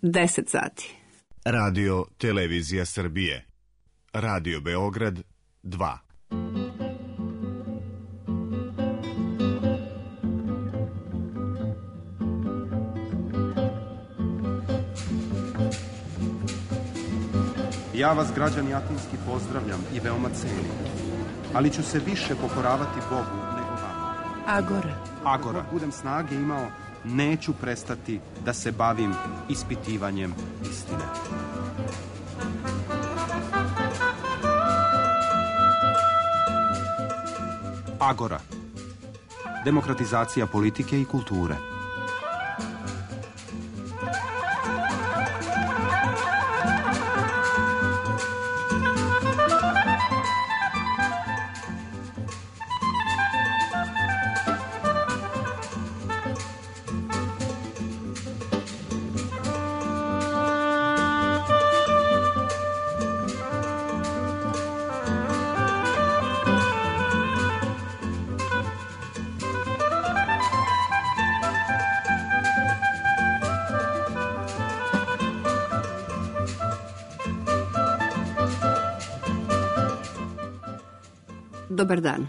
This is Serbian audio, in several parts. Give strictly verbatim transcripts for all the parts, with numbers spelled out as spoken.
deset sati. Radio Televizija Srbije. Radio Beograd dva. Ja vas, građani Atinski, pozdravljam i veoma cenim, ali ću se više pokoravati Bogu nego vama. Agora. Agora. Dok budem snage imao, neću prestati da se bavim ispitivanjem istine. Agora. Demokratizacija politike i kulture. Dobar dan.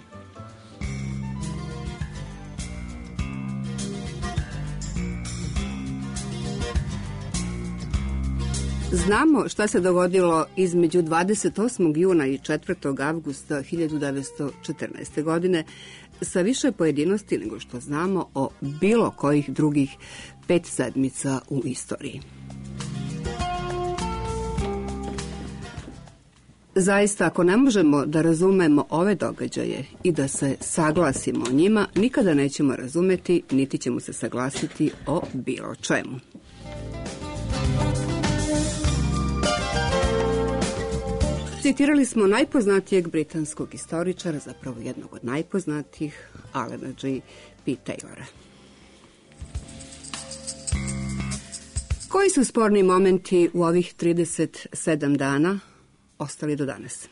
Znamo šta se dogodilo između dvadeset osmog juna i četvrtog avgusta hiljadu devetsto četrnaeste. godine sa više pojedinosti nego što znamo o bilo kojih drugih pet sedmica u istoriji. Zaista, ako ne možemo da razumemo ove događaje i da se saglasimo o njima, nikada nećemo razumeti, niti ćemo se saglasiti o bilo čemu. Citirali smo najpoznatijeg britanskog istoričara, zapravo jednog od najpoznatijih, Alana G. P. Taylora. Koji su sporni momenti u ovih trideset sedam dana ostali do danas?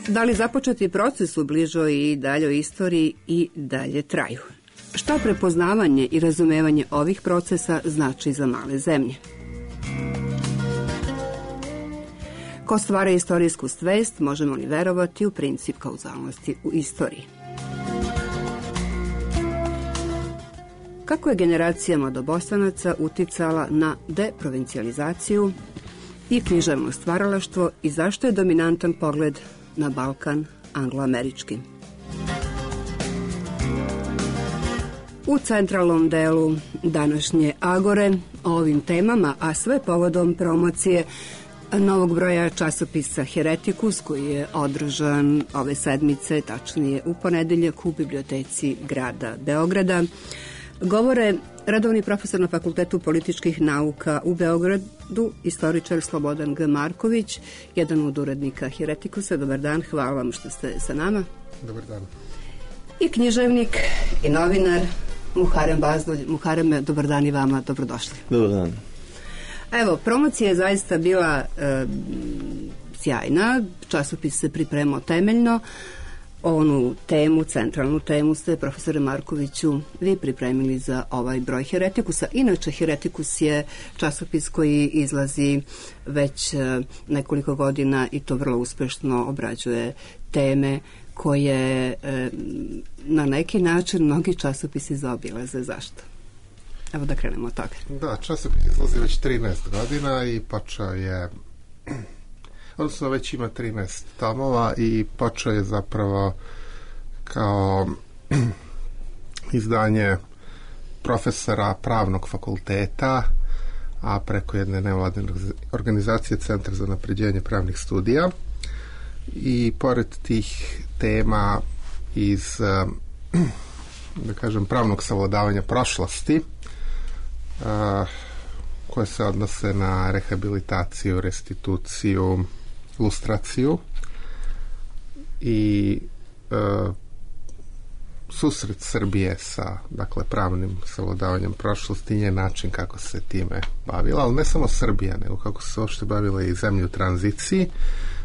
Da li započeti proces u bližoj i daljoj istoriji i dalje traju? Šta prepoznavanje i razumevanje ovih procesa znači za male zemlje? Ko stvara istorijsku svest, možemo li verovati u princip kauzalnosti u istoriji? Kako je generacija mladobosanaca uticala na deprovincijalizaciju i književno stvaralaštvo i zašto je dominantan pogled na Balkan angloamerički? U centralnom delu današnje Agore o ovim temama, a sve povodom promocije novog broja časopisa Heretikus, koji je održan ove sedmice, tačnije u ponedeljak u biblioteci grada Beograda, govore redovni profesor na Fakultetu političkih nauka u Beogradu, istoričar Slobodan G. Marković, jedan od urednika Heretikusa. Dobar dan, hvala vam što ste sa nama. Dobar dan. I književnik i novinar Muharem Bazdulj. Muhareme, dobar dan i vama, dobrodošli. Dobar dan. Evo, promocija je zaista bila e, sjajna, časopis se pripremao temeljno. Onu temu, centralnu temu ste, profesore Markoviću, vi pripremili za ovaj broj Heretikusa. Inače, Heretikus je časopis koji izlazi već nekoliko godina i to vrlo uspešno obrađuje teme koje e, na neki način mnogi časopisi zaobilaze. Zašto? Evo da krenemo od toga. Da, časopis izlazi već trinaest godina i počeo je, odnosno već ima trinaest tomova i počeo je zapravo kao izdanje profesora pravnog fakulteta, a preko jedne nevladine organizacije Centar za unapređenje pravnih studija. I pored tih tema iz, da kažem, pravnog savladavanja prošlosti, koje se odnose na rehabilitaciju, restituciju, lustraciju i e, susret Srbije sa, dakle, pravnim savladavanjem prošlosti je način kako se time bavila, ali ne samo Srbija, nego kako se uopšte bavila i zemlje u tranziciji.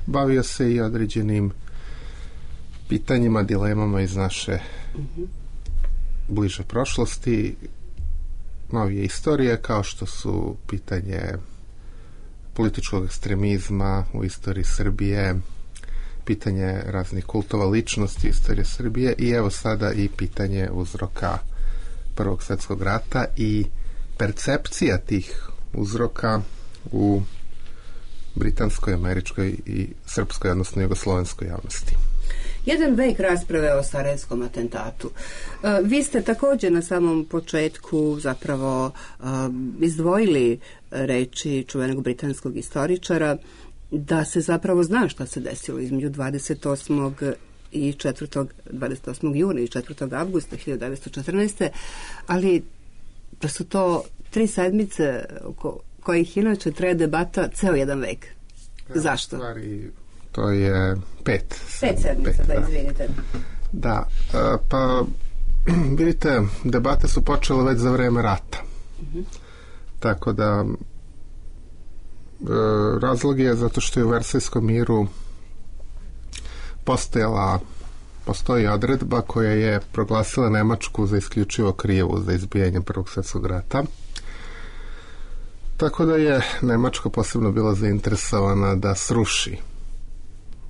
Bavio se i određenim pitanjima, dilemama iz naše bliže prošlosti. novije istorije, kao što su pitanje političkog ekstremizma u istoriji Srbije, pitanje raznih kultova ličnosti istorije Srbije i evo sada i pitanje uzroka Prvog svjetskog rata i percepcija tih uzroka u britanskoj, američkoj i srpskoj, odnosno jugoslovenskoj javnosti. Jedan vek rasprave o Sarajevskom atentatu. Vi ste također na samom početku zapravo izdvojili reči čuvenog britanskog istoričara da se zapravo zna šta se desilo između dvadeset osmog i četvrtog, dvadeset osmog juna i četvrtog avgusta hiljadu devetsto četrnaeste. ali da su to tri sedmice oko kojih inače traje debata ceo jedan vek. Ja, zašto? Stvari, to je pet. Pet sedmica, pet, da, izvinite. Da, pa vidite, debate su počele već za vreme rata. Uh-huh. Tako da razlog je zato što je u Versajskom miru postojala postoji odredba koja je proglasila Nemačku za isključivo krivu za izbijanje Prvog svjetskog rata. Tako da je Nemačka posebno bila zainteresovana da sruši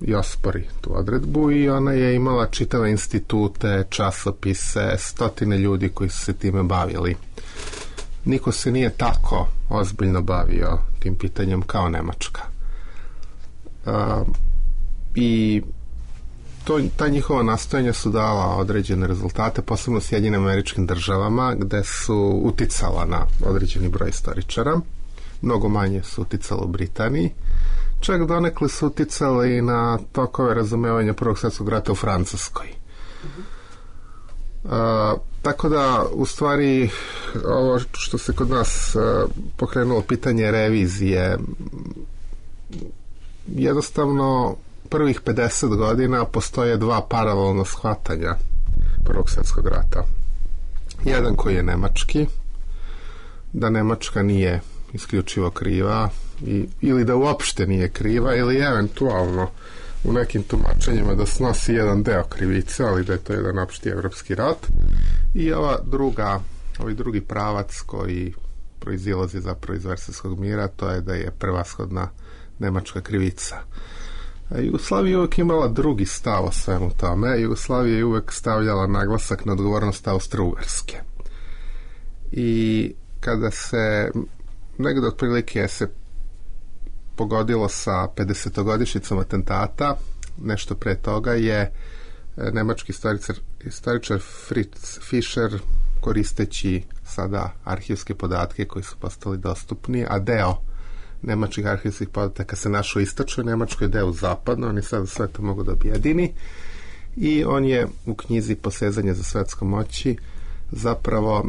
i ospori tu odredbu i ona je imala čitave institute, časopise, stotine ljudi koji su se time bavili. Niko se nije tako ozbiljno bavio tim pitanjem kao Nemačka. Uh, I to, ta njihova nastojanja su dala određene rezultate, posebno u Sjedinjenim Američkim Državama, gde su uticala na određeni broj istoričara. Mnogo manje su uticala u Britaniji. Čak donekle su uticali na tokove razumevanja Prvog svjetskog rata u Francuskoj. Uh, tako da, u stvari, ovo što se kod nas uh, pokrenulo pitanje revizije, jednostavno prvih pedeset godina postoje dva paralelna shvatanja Prvog svjetskog rata. Jedan koji je nemački, da Nemačka nije isključivo kriva i, ili da uopšte nije kriva ili eventualno u nekim tumačenjima da snosi jedan deo krivice, ali da je to jedan opšti evropski rat. I ova druga, ovaj drugi pravac koji proizilazi zapravo iz Versajskog mira, to je da je prevashodna nemačka krivica. A Jugoslavija je uvek imala drugi stav o svemu tome. Jugoslavija je uvek stavljala naglasak na odgovornost Austro-Ugarske. I kada se negdje otprilike se pogodilo sa pedesetogodišnjicom atentata, nešto pre toga je nemački istoričar, istoričar Fritz Fischer, koristeći sada arhivske podatke koji su postali dostupni, a deo nemačkih arhivskih podataka se našao u istočnoj Nemačkoj, deo u zapadnoj, oni sada sve to mogu da objedini i on je u knjizi Posezanje za svetskom moći zapravo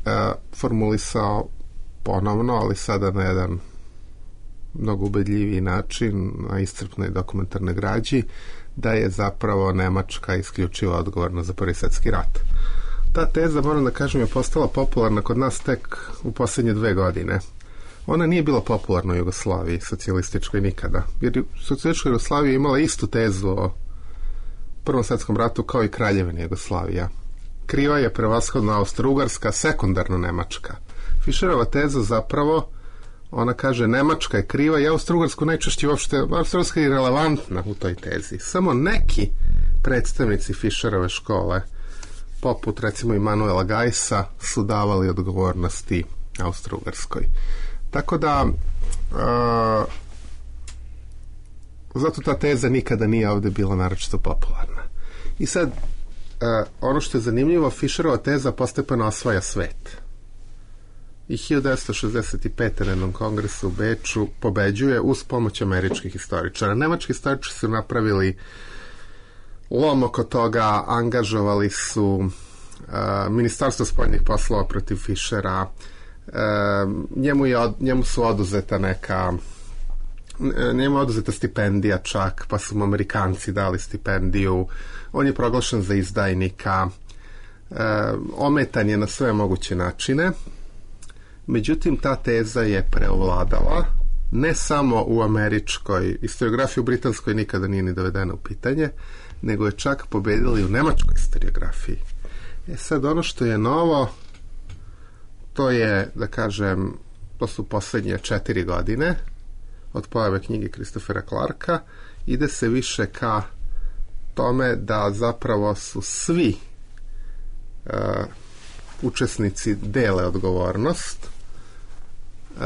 e, formulisao ponovno, ali sada na jedan mnogo ubedljiviji način, na iscrpnoj dokumentarnoj građi, da je zapravo Nemačka isključivo odgovorna za Prvi svjetski rat. Ta teza, moram da kažem, je postala popularna kod nas tek u posljednje dve godine. Ona nije bila popularna u Jugoslaviji, socijalističkoj, nikada. Jer socijalistička Jugoslavija je imala istu tezu o Prvom svjetskom ratu kao i Kraljevina Jugoslavija. Kriva je prevashodno Austro-Ugarska, sekundarno Nemačka. Fischerova teza zapravo, ona kaže Nemačka je kriva i Austro-Ugarsku najčešće uopšte, Austro-Ugarska je relevantna u toj tezi. Samo neki predstavnici Fischerove škole, poput recimo Immanuela Geissa, su davali odgovornosti Austro-Ugarskoj. Tako da uh, zato ta teza nikada nije ovdje bila naročito popularna. I sad uh, ono što je zanimljivo, Fischerova teza postepeno osvaja svet. I hiljadu devetsto šezdeset pete na jednom kongresu u Beču pobeđuje uz pomoć američkih istoričara. Nemački istoričari su napravili lom oko toga, angažovali su uh, Ministarstvo spoljnih poslova protiv Fischera. Uh, njemu, je od, njemu su oduzeta neka njemu je oduzeta stipendija čak, pa su mu Amerikanci dali stipendiju. On je proglašen za izdajnika. Uh, ometan je na sve moguće načine. Međutim, ta teza je preovladala ne samo u američkoj historiografiji, u britanskoj nikada nije ni dovedena u pitanje, nego je čak pobedila i u nemačkoj historiografiji. E sad, ono što je novo, to je, da kažem, to su posljednje četiri godine od pojave knjige Christophera Clarka. Ide se više ka tome da zapravo su svi uh, učesnici dele odgovornost, uh,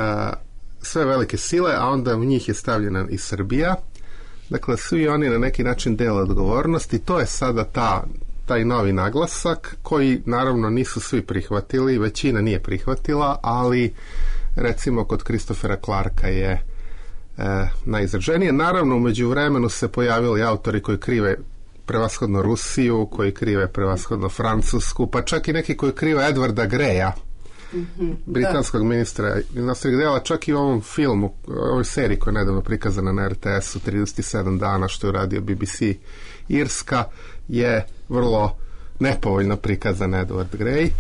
sve velike sile, a onda u njih je stavljena i Srbija. Dakle, svi oni na neki način dele odgovornost i to je sada ta, taj novi naglasak koji naravno nisu svi prihvatili, većina nije prihvatila, ali recimo kod Christophera Clarka je e, najizraženije. Naravno, u međuvremenu se pojavili autori koji krive prevashodno Rusiju, koji krive prevashodno Francusku, pa čak i neki koji krive Edwarda Greya, mm-hmm, britanskog da. ministra inostranih dela, čak i u ovom filmu, ovoj seriji koja je nedavno prikazana na R T S-u trideset sedam dana, što je uradio B B C Irska, je vrlo nepovoljno prikazan Edward Grey,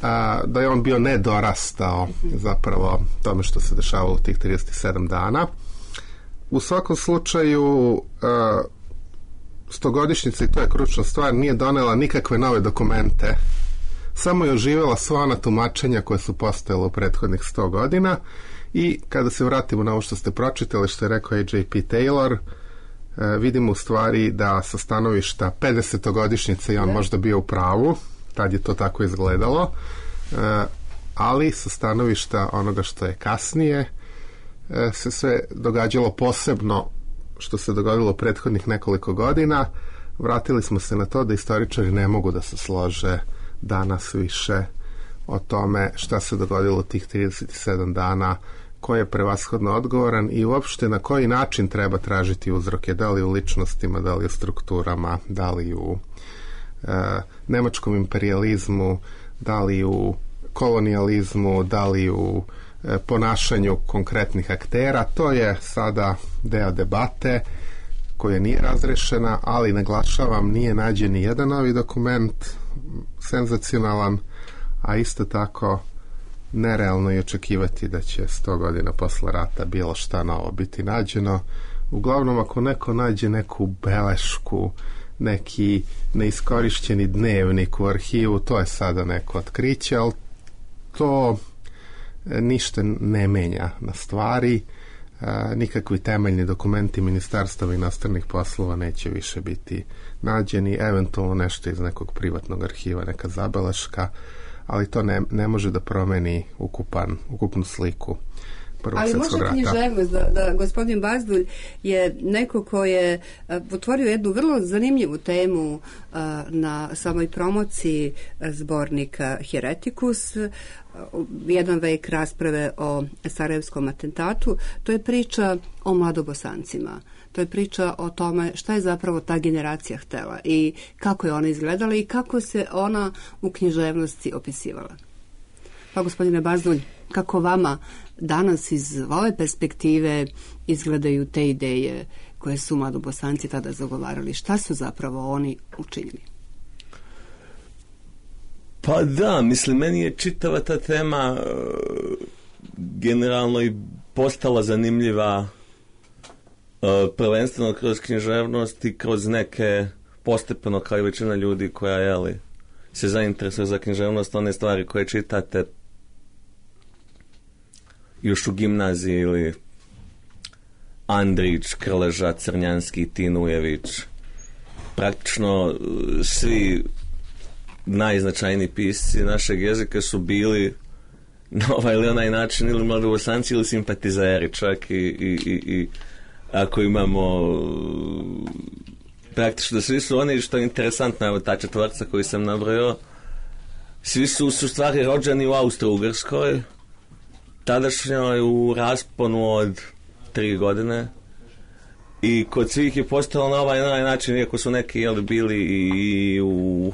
a, da je on bio nedorastao zapravo tome što se dešavalo u tih trideset sedam dana. U svakom slučaju a, stogodišnjica, i to je kručna stvar, nije donela nikakve nove dokumente, samo je oživjela sva ona tumačenja koje su postojala u prethodnih sto godina. I kada se vratimo na ovo što ste pročitali, što je rekao A J P Taylor, e, vidimo u stvari da sa stanovišta pedesetogodišnjice i on možda bio u pravu, tad je to tako izgledalo, e, ali sa stanovišta onoga što je kasnije e, se sve događalo, posebno što se dogodilo u prethodnih nekoliko godina. Vratili smo se na to da istoričari ne mogu da se slože danas više o tome šta se dogodilo tih trideset sedam dana, ko je prevashodno odgovoran i uopšte na koji način treba tražiti uzroke, da li u ličnostima, da li u strukturama, da li u e, nemačkom imperijalizmu, da li u kolonijalizmu, da li u e, ponašanju konkretnih aktera. To je sada deo debate koja nije razrešena, ali naglašavam, nije nađen ni jedan novi dokument senzacionalan, a isto tako nerealno je očekivati da će sto godina posle rata bilo šta novo biti nađeno. Uglavnom, ako neko nađe neku belešku, neki neiskorišćeni dnevnik u arhivu, to je sada neko otkriće, ali to ništa ne menja na stvari. Nikakvi temeljni dokumenti Ministarstva inostranih poslova neće više biti nađeni, eventualno nešto iz nekog privatnog arhiva, neka zabeleška, ali to ne, ne može da promeni ukupan, ukupnu sliku Prvog ali svjetskog rata. Ali možda književnost, da, da gospodin Bazdulj je neko ko je a, otvorio jednu vrlo zanimljivu temu a, na samoj promociji zbornika Heretikus, a, jedan vek rasprave o Sarajevskom atentatu. To je priča o mladobosancima. To je priča o tome šta je zapravo ta generacija htela i kako je ona izgledala i kako se ona u književnosti opisivala. Pa gospodine Bazdulj, kako vama danas iz ove perspektive izgledaju te ideje koje su mladobosanci tada zagovarali? Šta su zapravo oni učinili? Pa da, mislim, meni je čitava ta tema generalno i postala zanimljiva prvenstveno kroz književnost i kroz neke postepeno, kao i većina ljudi koja jeli, se zainteresuje za književnost, one stvari koje čitate još u gimnaziji ili Andrić, Krleža, Crnjanski, Tinujević, praktično svi najznačajniji pisci našeg jezika su bili na ovaj ili onaj način ili mladobosanci ili simpatizeri, čak i, i, i, i ako imamo praktično da svi su oni, što je interesantno, evo ta četvorca koju sam nabrojao, svi su su stvari rođeni u Austro-Ugrskoj, tadašnjoj u rasponu od tri godine, i kod svih je postalo na ovaj, na ovaj način, iako su neki jeli, bili i u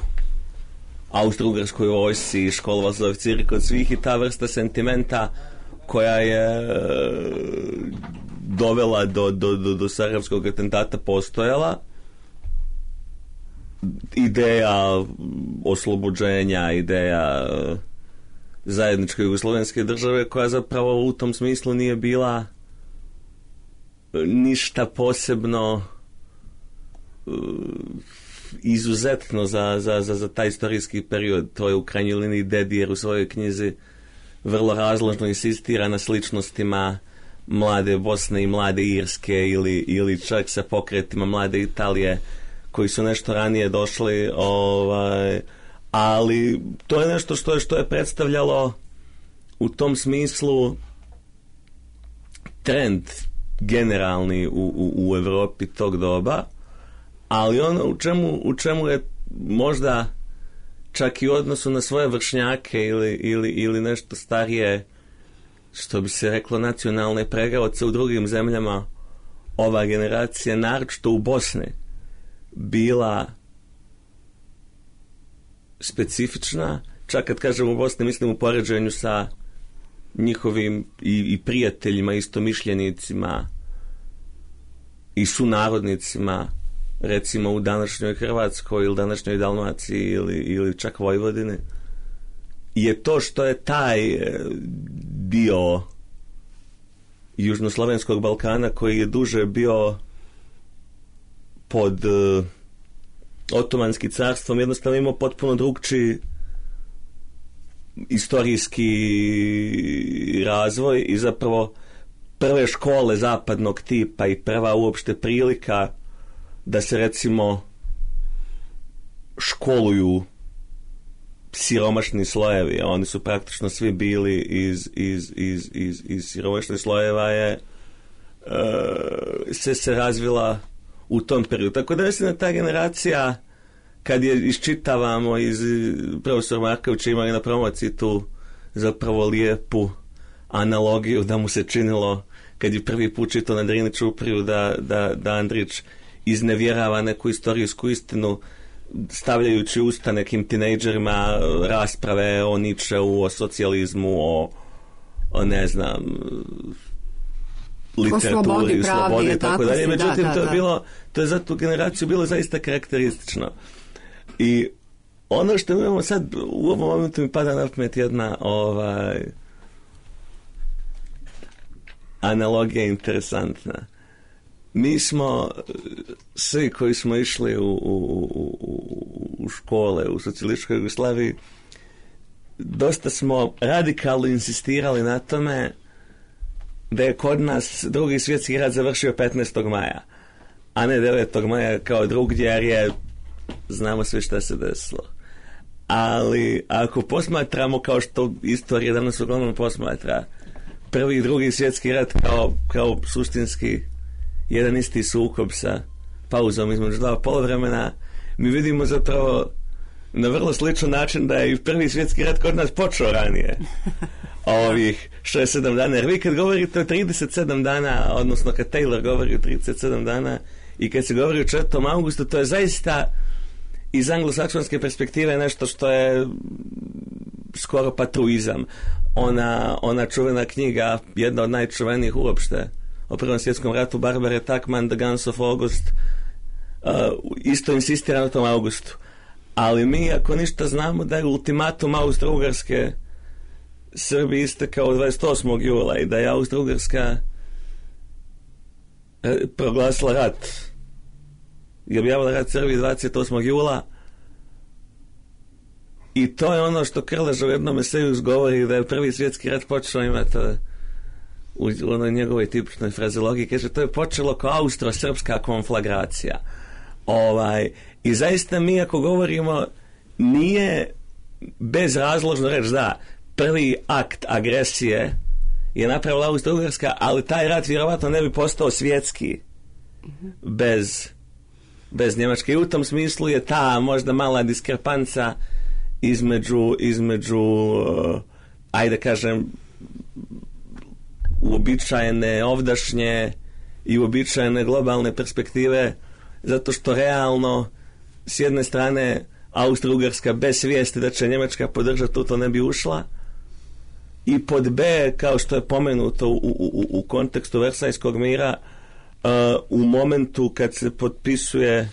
Austro-Ugrskoj vojsci i školovali za oficiri, kod svih i ta vrsta sentimenta koja je dovela do, do, do, do Sarajevskog atentata postojala. Ideja oslobođenja, ideja zajedničke jugoslovenske države, koja zapravo u tom smislu nije bila ništa posebno izuzetno za, za, za, za taj istorijski period. To je u krajnjoj liniji Dedijer u svojoj knjizi vrlo razložno insistira na sličnostima mlade Bosne i mlade Irske ili, ili čak sa pokretima mlade Italije koji su nešto ranije došli, ovaj, ali to je nešto što je, što je predstavljalo u tom smislu trend generalni u, u, u Evropi tog doba, ali ono u čemu, u čemu je možda čak i u odnosu na svoje vršnjake ili, ili, ili nešto starije, što bi se reklo nacionalne pregaoce u drugim zemljama, ova generacija, naročito u Bosni, bila specifična. Čak kad kažem u Bosni, mislim u poređenju sa njihovim i, i prijateljima, istomišljenicima i sunarodnicima, recimo u današnjoj Hrvatskoj ili današnjoj Dalmaciji ili, ili čak Vojvodini, je to što je taj dio južnoslovenskog Balkana koji je duže bio pod uh, Otomanskim carstvom, jednostavno imao potpuno drugčiji istorijski razvoj i zapravo prve škole zapadnog tipa i prva uopšte prilika da se recimo školuju siromašni slojevi, a oni su praktično svi bili iz, iz, iz, iz, iz siromašnih slojeva, je uh, se, se razvila u tom periodu. Tako da mislim da ta generacija, kad je iščitavamo iz profesor Markovića imali na promociji tu zapravo lijepu analogiju da mu se činilo kad je prvi put čitao na Drini Čupriju da, da, da Andrić iznevjerava neku istorijsku istinu stavljajući usta nekim tinejdžerima rasprave o Nietzscheu, o socijalizmu, o, o ne znam literaturi, o slobodi, o slobodi pravdi, i tako dalje. Međutim, da, to je da. bilo, to je za tu generaciju bilo zaista karakteristično. I ono što imamo sad, u ovom momentu mi pada na pamet jedna ovaj, analogija interesantna. Mi smo, svi koji smo išli u, u, u, u škole u socijalističkoj Jugoslaviji, dosta smo radikalno insistirali na tome da je kod nas drugi svjetski rat završio petnaestog maja, a ne devetog maja kao drugdje, jer je, znamo sve šta se desilo. Ali ako posmatramo, kao što istorija danas uglavnom posmatra, prvi i drugi svjetski rat kao, kao suštinski jedan isti sukob sa pauzom između dva poluvremena, mi vidimo zapravo na vrlo sličan način da je i prvi svjetski rat kod nas počeo ranije. Ovih šezdeset sedam dana. Jer vi kad govorite o trideset sedam dana, odnosno kad Taylor govori o trideset sedam dana i kad se govori o četvrtom augustu, to je zaista iz anglosaksonske perspektive nešto što je skoro patruizam. Ona, ona čuvena knjiga, jedna od najčuvenijih uopšte, o Prvom svjetskom ratu, Barbare Tuchman, The Guns of August, uh, isto insistira na tom augustu. Ali mi, ako ništa, znamo da je ultimatum Austro-Ugarske Srbiji istekao dvadeset osmog jula i da je Austro-Ugarska proglasila rat i objavila rat Srbiji dvadeset osmog jula, i to je ono što Krleža u jednom eseju govori da je prvi svjetski rat počeo, imati u onoj njegovoj tipičnoj frazeologiji, kaže to je počelo kao austro-srpska konflagracija. Ovaj, i zaista mi ako govorimo, nije bezrazložno reći da prvi akt agresije je napravila Austro-Ugarska, ali taj rat vjerovatno ne bi postao svjetski bez, bez Njemačke. I u tom smislu je ta možda mala diskrepanca između, između uh, ajde kažem uobičajene ovdašnje i uobičajene globalne perspektive, zato što realno s jedne strane Austro-Ugarska bez svijesti da će Njemačka podržati to, to ne bi ušla, i pod B, kao što je pomenuto u, u, u kontekstu Versajskog mira, uh, u momentu kad se potpisuje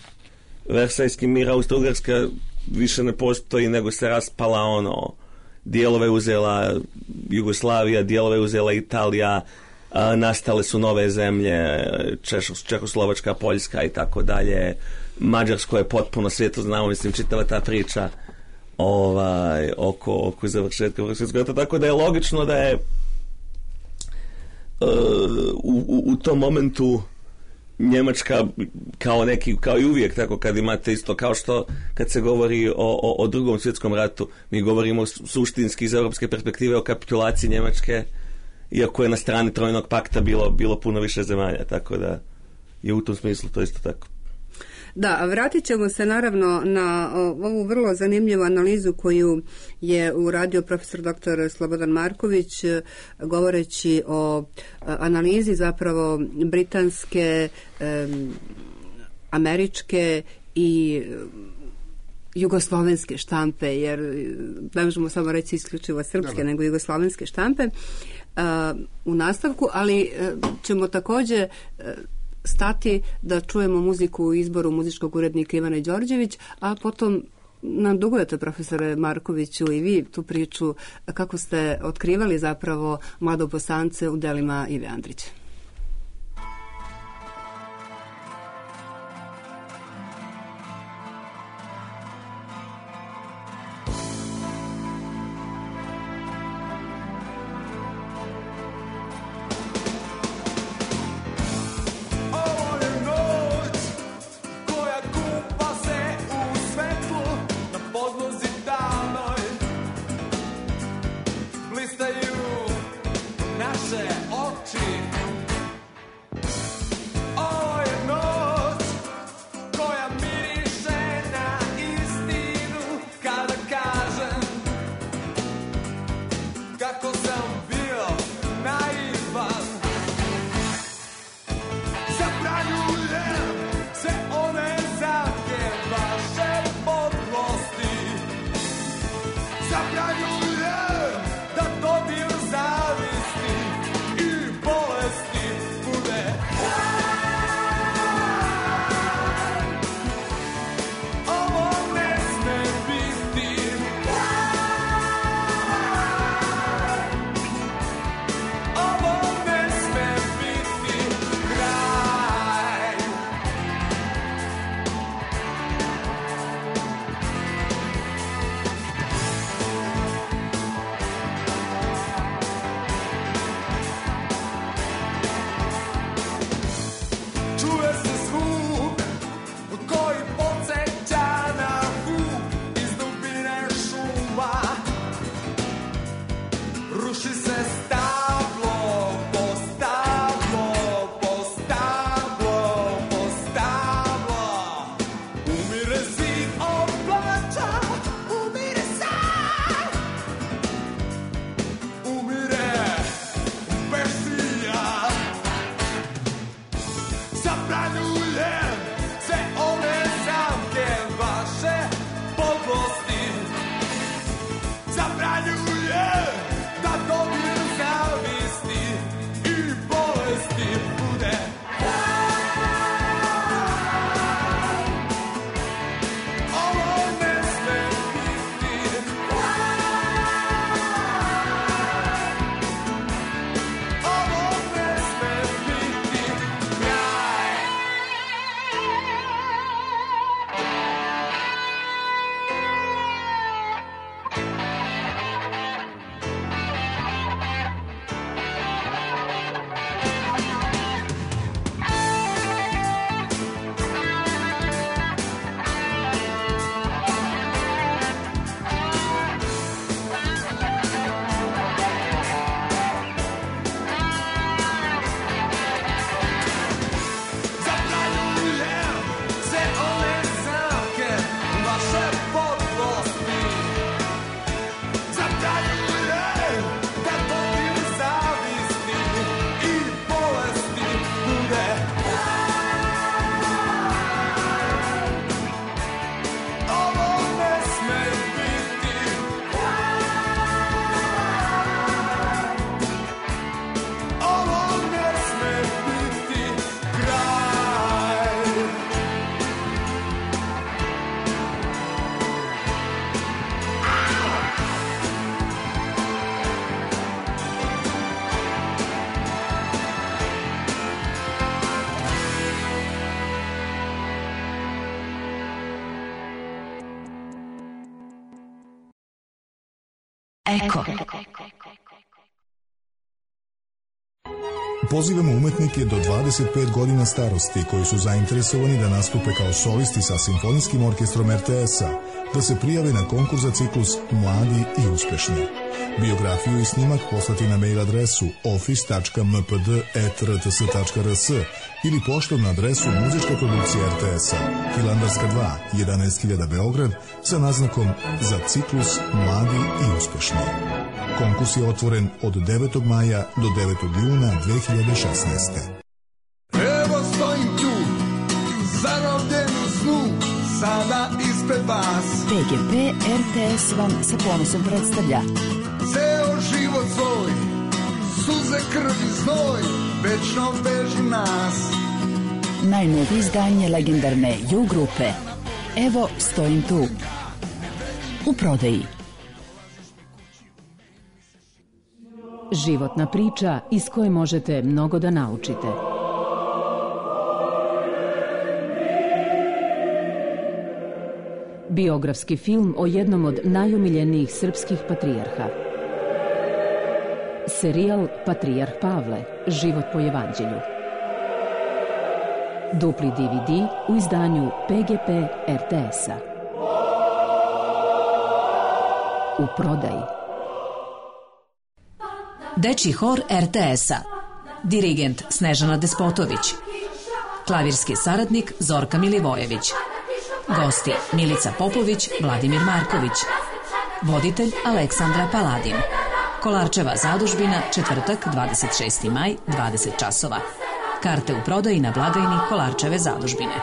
Versajski mir, Austro-Ugarska više ne postoji, nego se raspala, ono, dijelove uzela Jugoslavija, dijelove uzela Italija, a, nastale su nove zemlje, Češ, Čehoslovačka, Poljska i tako dalje. Mađarsko je potpuno svijetu znamo, mislim, čitava ta priča ovaj, oko, oko završetka Prvog svjetskog rata, tako da je logično da je uh, u, u, u tom momentu Njemačka kao neki, kao i uvijek, tako kad imate isto, kao što kad se govori o, o, o drugom svjetskom ratu, mi govorimo suštinski iz europske perspektive o kapitulaciji Njemačke, iako je na strani Trojnog pakta bilo, bilo puno više zemalja, tako da je u tom smislu to isto tako. Da, a vratit ćemo se naravno na ovu vrlo zanimljivu analizu koju je uradio profesor doktor Slobodan Marković, govoreći o analizi zapravo britanske, američke i jugoslovenske štampe, jer ne možemo samo reći isključivo srpske, Dobar. nego jugoslovenske štampe u nastavku, ali ćemo također stati da čujemo muziku u izboru muzičkog urednika Ivana Đorđević, a potom nam dugujete, profesore Markoviću, i vi tu priču kako ste otkrivali zapravo Mladobosance u delima Ive Andrića. Naše oči Eko. Pozivamo umetnike do dvadeset pet godina starosti koji su zainteresovani da nastupe kao solisti sa Simfonijskim orkestrom er te es-a, da se prijave na konkurs za ciklus Mladi i uspešni. Biografiju i snimak poslati na mail adresu office tačka m p d at r t s tačka r s ili poštom na adresu muzička produkcija er te es-a, Hilandarska dva, jedanaest hiljada Beograd, sa naznakom za ciklus Mladi i uspešni. Konkurs je otvoren od devetog maja do devetog juna dve hiljade šesnaeste. Evo stojim tu, zarobljen u snu, sada ispred vas. P G P er te es vam sa ponosom predstavlja Ceo život svoj, suze, krv i znoj, večno vežu nas. najnovije izdanje legendarne Ju grupe. Evo stojim tu. U prodaji. Životna priča iz koje možete mnogo da naučite. Biografski film o jednom od najomiljenijih srpskih patrijarha. Serijal Patrijarh Pavle, život po evanđelju. Dupli de ve de u izdanju P G P er te es-a. U prodaji. Dečji hor er te es-a. Dirigent Snežana Despotović. Klavirski saradnik Zorka Milivojević. Gosti Milica Popović, Vladimir Marković. Voditelj Aleksandra Paladin. Kolarčeva zadužbina, četvrtak, dvadeset šesti maj, dvadeset časova. Karte u prodaji na blagajni Kolarčeve zadužbine.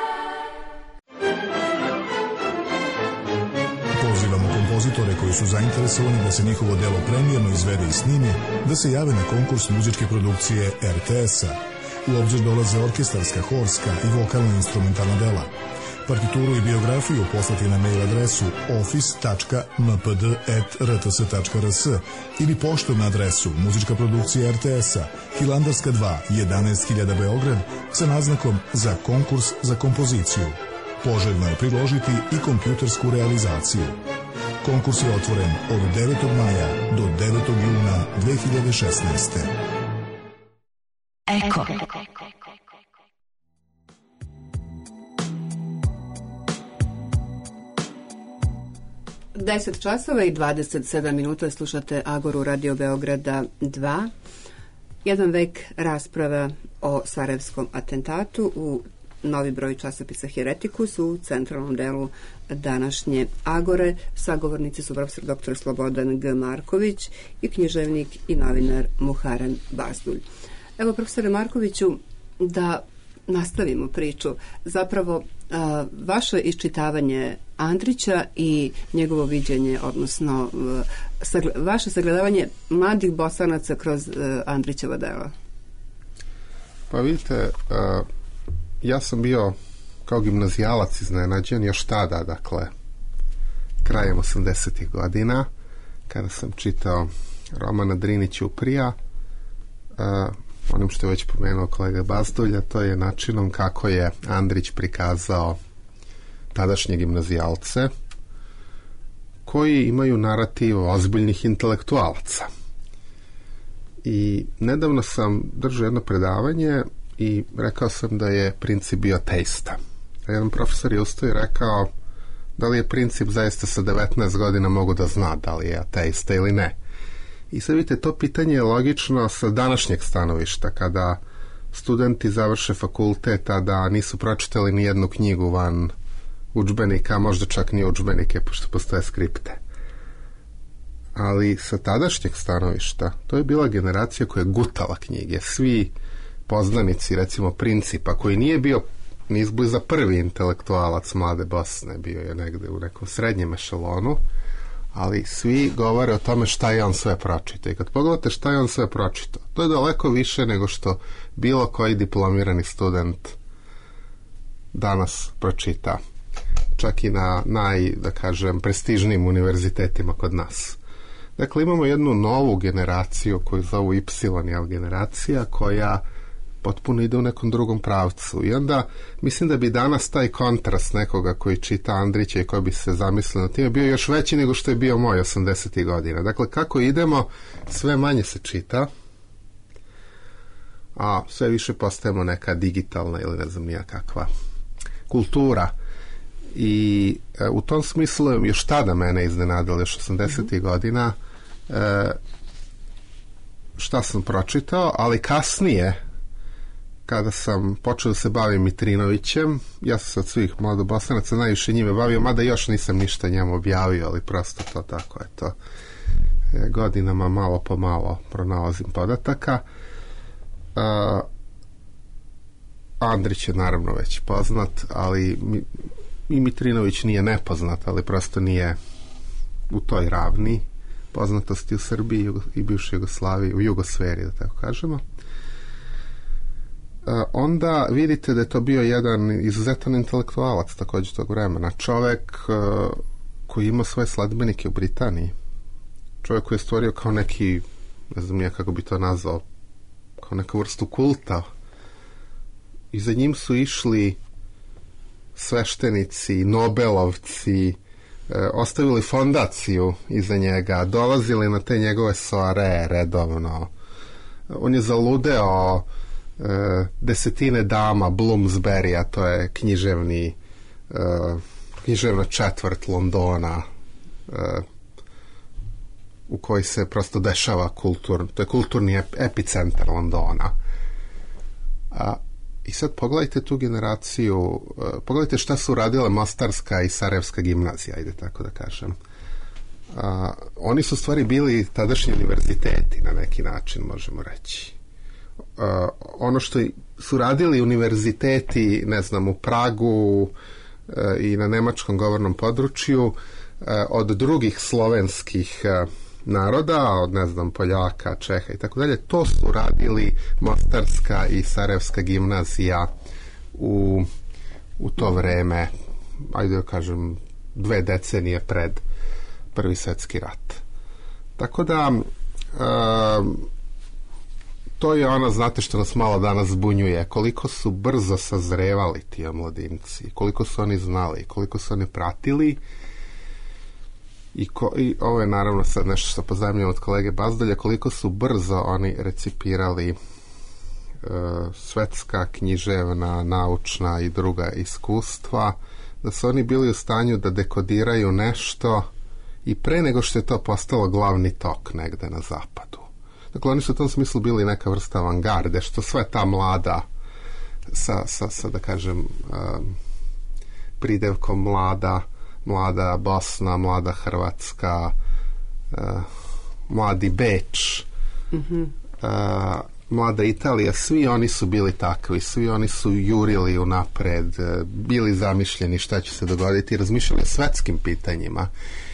Pozivamo kompozitore koji su zainteresovani da se njihovo delo premijerno izvede i snimi, da se jave na konkurs muzičke produkcije er te es-a. U obzir dolaze orkestarska, horska i vokalno-instrumentalna dela. Partituru i biografiju poslati na mail adresu office tačka m p d at r t s tačka r s ili poštom na adresu muzička produkcija er te es-a, Hilandarska dva, jedanaest hiljada Beograd, sa naznakom za konkurs za kompoziciju. Poželjno je priložiti i kompjutersku realizaciju. Konkurs je otvoren od devetog maja do devetog juna dve hiljade šesnaeste. Eko. deset časova i dvadeset sedam minuta slušate Agoru Radio Beograda dva. Jedan vek rasprava o sarajevskom atentatu u novi broj časopisa Heretikus u centralnom delu današnje Agore. Sagovornici su profesor doktor Slobodan G. Marković i književnik i novinar Muharrem Bazdulj. Evo, profesore Markoviću, da nastavimo priču. Zapravo, a, vaše iščitavanje Andrića i njegovo viđenje, odnosno a, sagled, vaše sagledavanje mladih Bosanaca kroz a, Andrićeva dela. Pa vidite, a, ja sam bio kao gimnazijalac iznenađen još tada, dakle, krajem osamdesetih godina, kada sam čitao Romana Drinića Uprija, a, onim što je već pomenuo kolega Bazdulja, to je načinom kako je Andrić prikazao tadašnje gimnazijalce koji imaju narativ ozbiljnih intelektualaca. I nedavno sam držao jedno predavanje i rekao sam da je Princip bio ateista. Jedan profesor je ustao i rekao da li je Princip zaista sa devetnaest godina mogu da zna da li je ateista ili ne. I sad vidite, to pitanje je logično sa današnjeg stanovišta, kada studenti završe fakultet, a da nisu pročitali ni jednu knjigu van udžbenika, možda čak ni udžbenike, pošto postoje skripte. Ali sa tadašnjeg stanovišta, to je bila generacija koja je gutala knjige. Svi poznanici, recimo Principa, koji nije bio ni izbliza prvi intelektualac mlade Bosne, bio je negde u nekom srednjem ešalonu, ali svi govore o tome šta je on sve pročitao. I kad pogledate šta je on sve pročitao, to je daleko više nego što bilo koji diplomirani student danas pročita. Čak i na naj, da kažem, prestižnijim univerzitetima kod nas. Dakle, imamo jednu novu generaciju koju zovu Y, jel, generacija, koja potpuno ide u nekom drugom pravcu. I onda mislim da bi danas taj kontrast nekoga koji čita Andrića i koji bi se zamislio na time bio još veći nego što je bio moj osamdesetih godina. Dakle, kako idemo, sve manje se čita, a sve više postajemo neka digitalna ili ne znam nija kakva kultura. I e, u tom smislu još tada mene iznenadilo, još osamdesetih mm-hmm. godina, e, šta sam pročitao, ali kasnije kada sam počeo da se bavim Mitrinovićem, ja sam se od svih mladobosanaca najviše njime bavio, mada još nisam ništa njemu objavio, ali prosto to tako je to. E, godinama malo po malo pronalazim podataka. Uh, Andrić je naravno već poznat, ali mi, i Mitrinović nije nepoznat, ali prosto nije u toj ravni poznatosti u Srbiji i bivšoj Jugoslaviji, u jugosferi, da tako kažemo. Uh, onda vidite da je to bio jedan izuzetan intelektualac također tog vremena. Čovek uh, koji ima svoje sledbenike u Britaniji. Čovek koji je stvorio kao neki, ne znam ja kako bi to nazvao, kao neku vrstu kulta. I za njim su išli sveštenici, nobelovci, e, ostavili fondaciju iza njega, dolazili na te njegove soare redovno. On je zaludeo e, desetine dama Bloomsbury, a to je književni e, književna četvrt Londona, e, u koji se prosto dešava kultur, to je kulturni epicentar Londona. A, I sad pogledajte tu generaciju, uh, pogledajte šta su radile Mostarska i Sarajevska gimnazija, ajde tako da kažem. A, oni su stvari bili tadašnji univerziteti na neki način, možemo reći. A, ono što su radili univerziteti, ne znam, u Pragu a, i na nemačkom govornom području, a, od drugih slovenskih a, naroda, od ne znam Poljaka, Čeha i tako dalje, to su radili Mostarska i Sarajevska gimnazija u, u to vreme, ajde da kažem dve decenije pred Prvi svjetski rat. Tako da um, to je ono, znate, što nas malo danas zbunjuje, koliko su brzo sazrevali ti omladinci, koliko su oni znali, koliko su oni pratili. I, ko, I ovo je naravno sad nešto što pozajmljamo od kolege Bazdolja, koliko su brzo oni recipirali e, svetska, književna, naučna i druga iskustva, da su oni bili u stanju da dekodiraju nešto i pre nego što je to postalo glavni tok negde na zapadu. Dakle, oni su u tom smislu bili neka vrsta avangarde, što sve ta mlada sa, sa, sa da kažem um, pridevkom mlada, mlada Bosna, mlada Hrvatska, uh, mladi Beč, mm-hmm. uh, mlada Italija, svi oni su bili takvi, svi oni su jurili unapred, uh, bili zamišljeni šta će se dogoditi, razmišljali o svetskim pitanjima.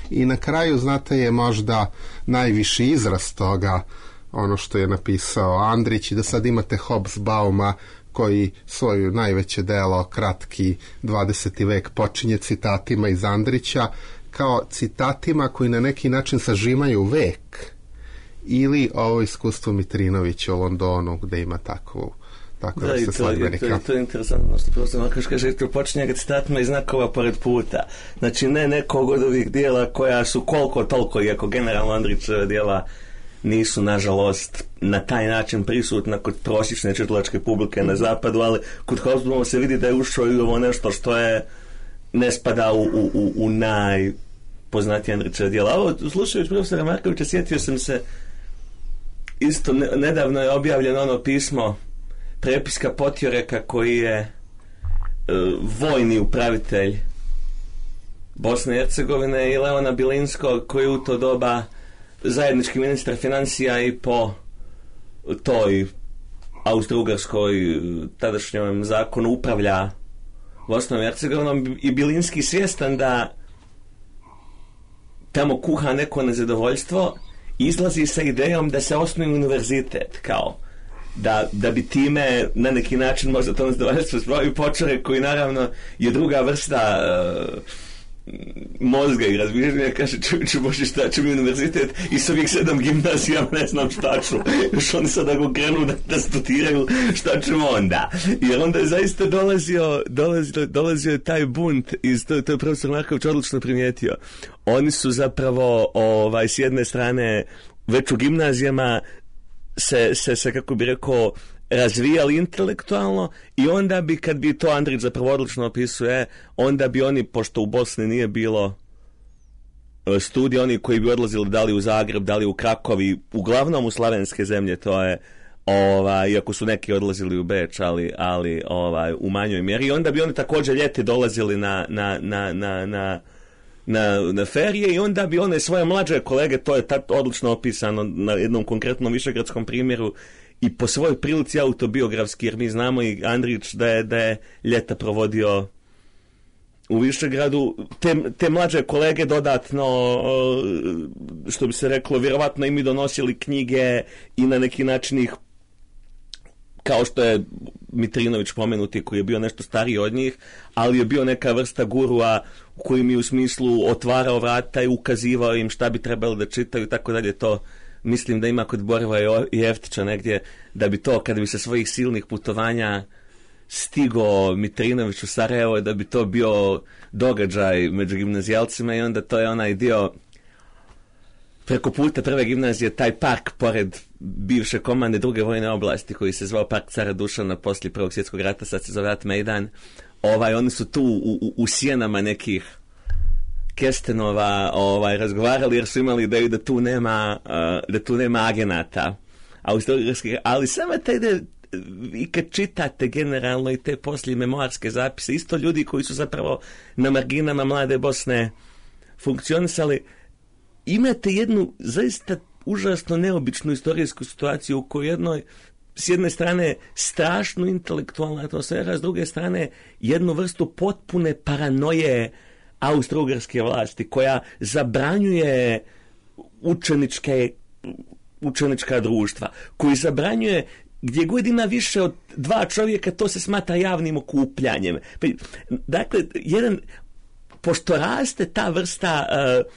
I na kraju, znate, je možda najviši izraz toga ono što je napisao Andrić, i da sad imate Hobsbauma koji svoju najveće delo, kratki dvadeseti vek, počinje citatima iz Andrića, kao citatima koji na neki način sažimaju vek, ili ovo iskustvo Mitrinovića u Londonu gde ima takvu tako da, vrste sledbenika. To, to je interesantno što prosto Markoš kaže, to počinje ga citatima i znakova pored puta. Znači ne nekog od ovih dijela koja su koliko toliko, iako generalno Andrićeva dijela nisu, nažalost, na taj način prisutna kod prosječne čitalačke publike na zapadu, ali kod Hobsbauma se vidi da je ušao i ovo nešto što je ne spada u, u, u, u najpoznatije Andrićeva dijela. Ovo, slušajući profesora Markovića, sjetio sam se, isto ne, nedavno je objavljeno ono pismo prepiska Potjoreka, koji je e, vojni upravitelj Bosne i Hercegovine, i Leona Bilinskog, koji u to doba zajednički ministar financija i po toj austro-ugarskoj tadašnjom zakonu upravlja Bosnom i Hercegovinom, i Bilinski svjestan da tamo kuha neko nezadovoljstvo, izlazi sa idejom da se osnuje univerzitet, kao da, da bi time na neki način možda to nezadovoljstvo spravio Počorek, koji naravno je druga vrsta uh, mozga i razmišljanja, kaže, čovječe Bože, šta ću mi univerzitet i s ovih sedam gimnazija ne znam šta ću, još oni sad ako krenu da, da studiraju, šta ćemo onda, jer onda je zaista dolazio dolazio, dolazio je taj bunt iz, to, to je profesor Marković odlično primijetio, oni su zapravo ovaj, s jedne strane već u gimnazijama se, se, se kako bi rekao razvijali intelektualno i onda bi, kad bi to Andrić zapravo odlično opisuje, onda bi oni, pošto u Bosni nije bilo studija, oni koji bi odlazili da li u Zagreb, da li u Krakovi, uglavnom u slavenske zemlje, to je, ovaj, iako su neki odlazili u Beč, ali, ali ovaj, u manjoj mjeri, i onda bi oni također ljeti dolazili na, na, na, na, na Na, na ferije i onda bi one svoje mlađe kolege, to je tad odlično opisano na jednom konkretnom višegradskom primjeru i po svojoj prilici autobiografski, jer mi znamo i Andrić da je, da je ljeta provodio u Višegradu, te, te mlađe kolege dodatno, što bi se reklo, vjerovatno im i donosili knjige i na neki način ih, kao što je Mitrinović pomenuti, koji je bio nešto stariji od njih, ali je bio neka vrsta gurua koji mi u smislu otvarao vrata i ukazivao im šta bi trebalo da čitaju, tako dalje. To mislim da ima kod Borova i Jeftića negdje, da bi to, kada bi se svojih silnih putovanja stigo Mitrinović u Sarajevo, da bi to bio događaj među gimnazijalcima i onda to je onaj dio preko puta prve gimnazije, taj park pored bivše komande druge vojne oblasti koji se zvao Park Cara Dušana poslije Prvog svjetskog rata, sad se zove Rat Mejdan. Ovaj, oni su tu u, u, u sjenama nekih kestenova ovaj, razgovarali jer su imali ideju da tu nema, uh, da tu nema agenata. Ali samo taj ide, i kad čitate generalno i te poslije memoarske zapise, isto ljudi koji su zapravo na marginama mlade Bosne funkcionisali, imate jednu zaista užasno neobičnu istorijsku situaciju u kojoj jednoj, s jedne strane strašno intelektualna atmosfera, s druge strane jednu vrstu potpune paranoje austro-ugarske vlasti koja zabranjuje učeničke, učenička društva, koji zabranjuje gdje god ima više od dva čovjeka, to se smatra javnim okupljanjem. Dakle, jedan, pošto raste ta vrsta uh,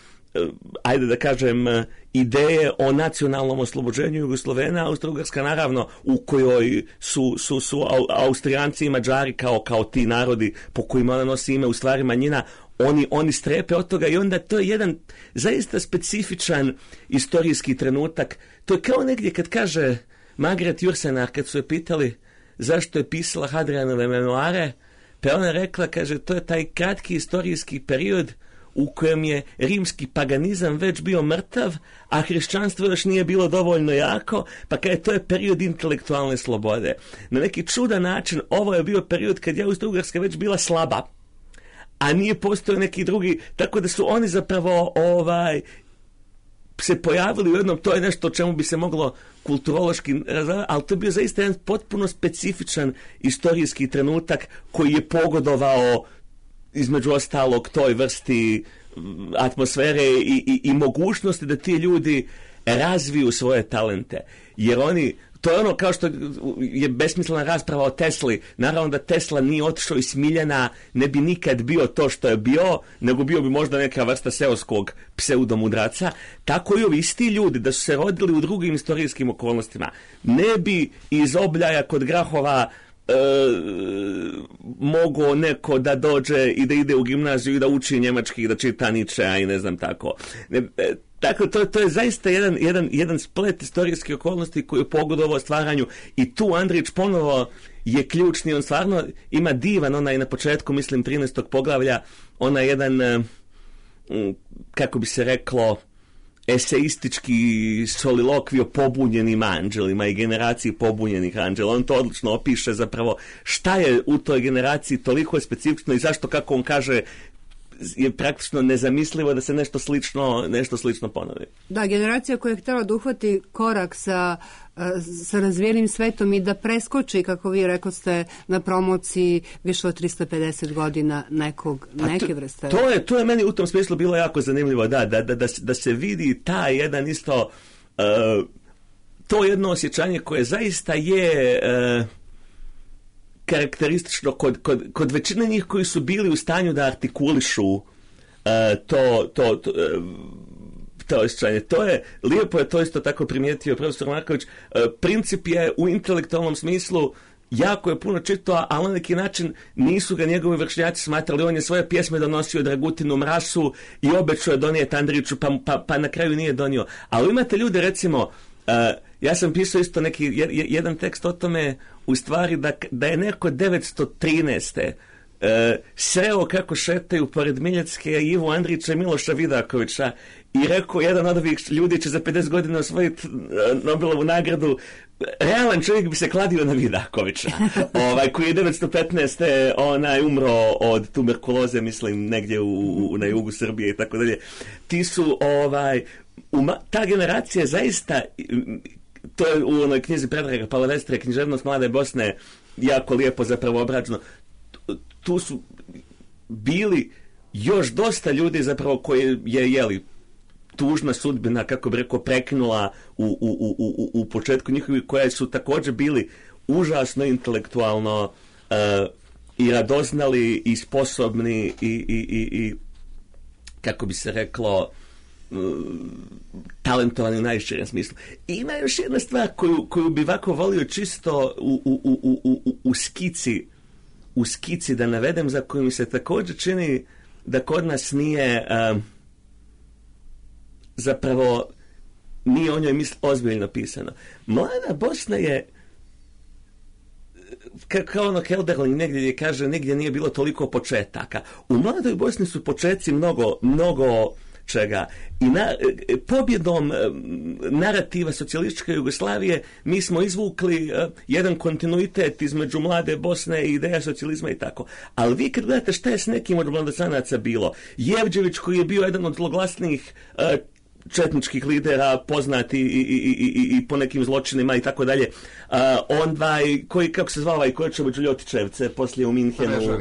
ajde da kažem, ideje o nacionalnom oslobođenju Jugoslovena, Austro-Ugarska naravno, u kojoj su, su, su Austrijanci i Mađari kao, kao ti narodi po kojima ona nosi ime u stvari manjina, oni, oni strepe od toga i onda to je jedan zaista specifičan istorijski trenutak. To je kao negdje kad kaže Margaret Jursenar, kad su je pitali zašto je pisala Hadrianove memoare, pa ona rekla, kaže, to je taj kratki istorijski period u kojem je rimski paganizam već bio mrtav, a hrišćanstvo još nije bilo dovoljno jako, pa kada to je period intelektualne slobode. Na neki čudan način ovo je bio period kad je Austro-Ugarska već bila slaba, a nije postojao neki drugi, tako da su oni zapravo ovaj se pojavili u jednom, to je nešto o čemu bi se moglo kulturološki razvijati, ali to je bio zaista jedan potpuno specifičan istorijski trenutak koji je pogodovao između ostalog toj vrsti atmosfere i, i, i mogućnosti da ti ljudi razviju svoje talente. Jer oni, to je ono kao što je besmislena rasprava o Tesli. Naravno da Tesla nije otišao iz Smiljana, ne bi nikad bio to što je bio, nego bio bi možda neka vrsta seoskog pseudomudraca. Tako i ovi isti ljudi da su se rodili u drugim istorijskim okolnostima, ne bi iz Obljaja kod Grahova E, mogao neko da dođe i da ide u gimnaziju i da uči njemački i da čita Nietzschea i ne znam tako. Ne, e, tako to, to je zaista jedan, jedan, jedan splet istorijskih okolnosti koji je pogodovao stvaranju i tu Andrić ponovo je ključni, on stvarno ima divan, onaj na početku, mislim, trinaestog poglavlja, onaj jedan, kako bi se reklo, eseistički solilokvij o pobunjenim anđelima i generaciji pobunjenih anđela. On to odlično opiše zapravo šta je u toj generaciji toliko specifično i zašto, kako on kaže, je praktično nezamislivo da se nešto slično, nešto slično ponovi. Da, generacija koja je htjela da uhvati korak sa, sa razvijenim svetom i da preskoči, kako vi rekoste, na promociji više od tristo pedeset godina nekog, pa neke to, vrste. To je, to je meni u tom smislu bilo jako zanimljivo, da, da, da, da, da se vidi taj jedan isto, uh, to jedno osjećanje koje zaista je uh, karakteristično kod, kod, kod većine njih koji su bili u stanju da artikulišu to, to, to to osjećanje. To je, lijepo je to isto tako primijetio profesor Marković, princip je u intelektualnom smislu jako je puno čitao, ali na neki način nisu ga njegovi vršnjaci smatrali. On je svoje pjesme donosio Dragutinu Mrasu i obećao je donijeti Andriću, pa, pa, pa na kraju nije donio. Ali imate ljude, recimo, uh, ja sam pisao isto neki jedan tekst o tome, u stvari da, da je neko devetsto trinaeste. Uh, sreo kako šetaju pored Miljacke Ivu Andrića i Miloša Vidakovića i rekao, jedan od ovih ljudi će za pedeset godina osvojiti uh, Nobelovu nagradu. Realan čovjek bi se kladio na Vidakovića, ovaj, koji je devetsto petnaeste onaj umro od tuberkuloze, mislim, negdje u, u, na jugu Srbije i tako dalje. Ti su, ovaj, uma, ta generacija zaista, to je u onoj knjizi Predraga Palavestre, Književnost mlade Bosne, jako lijepo zapravo obrađeno. Tu su bili još dosta ljudi zapravo koji je, jeli, tužna sudbina, kako bi rekao, prekinula u, u, u, u, u početku njihovi, koje su također bili užasno intelektualno uh, i radoznali i sposobni i, i, i, i kako bi se reklo, uh, talentovani u najširem smislu. I ima još jedna stvar koju, koju bi ovako volio čisto u, u, u, u, u, u skici u skici da navedem, za koju mi se također čini da kod nas nije uh, zapravo nije o njoj misl ozbiljno pisano. Mlada Bosna je kao ono Kelderling negdje gdje kaže, negdje nije bilo toliko početaka. U Mladoj Bosni su početci mnogo, mnogo čega. I na, pobjedom narativa socijalističke Jugoslavije mi smo izvukli uh, jedan kontinuitet između Mlade Bosne i ideja socijalizma i tako. Ali vi kad gledate šta je s nekim od mladosanaca bilo, Jevđević koji je bio jedan od zloglasnijih uh, četničkih lidera, poznati i, i, i, i, i po nekim zločinima i tako dalje. Onda koji, kako se zvao, i Kočević Ljotićevce, poslije u Minhenu,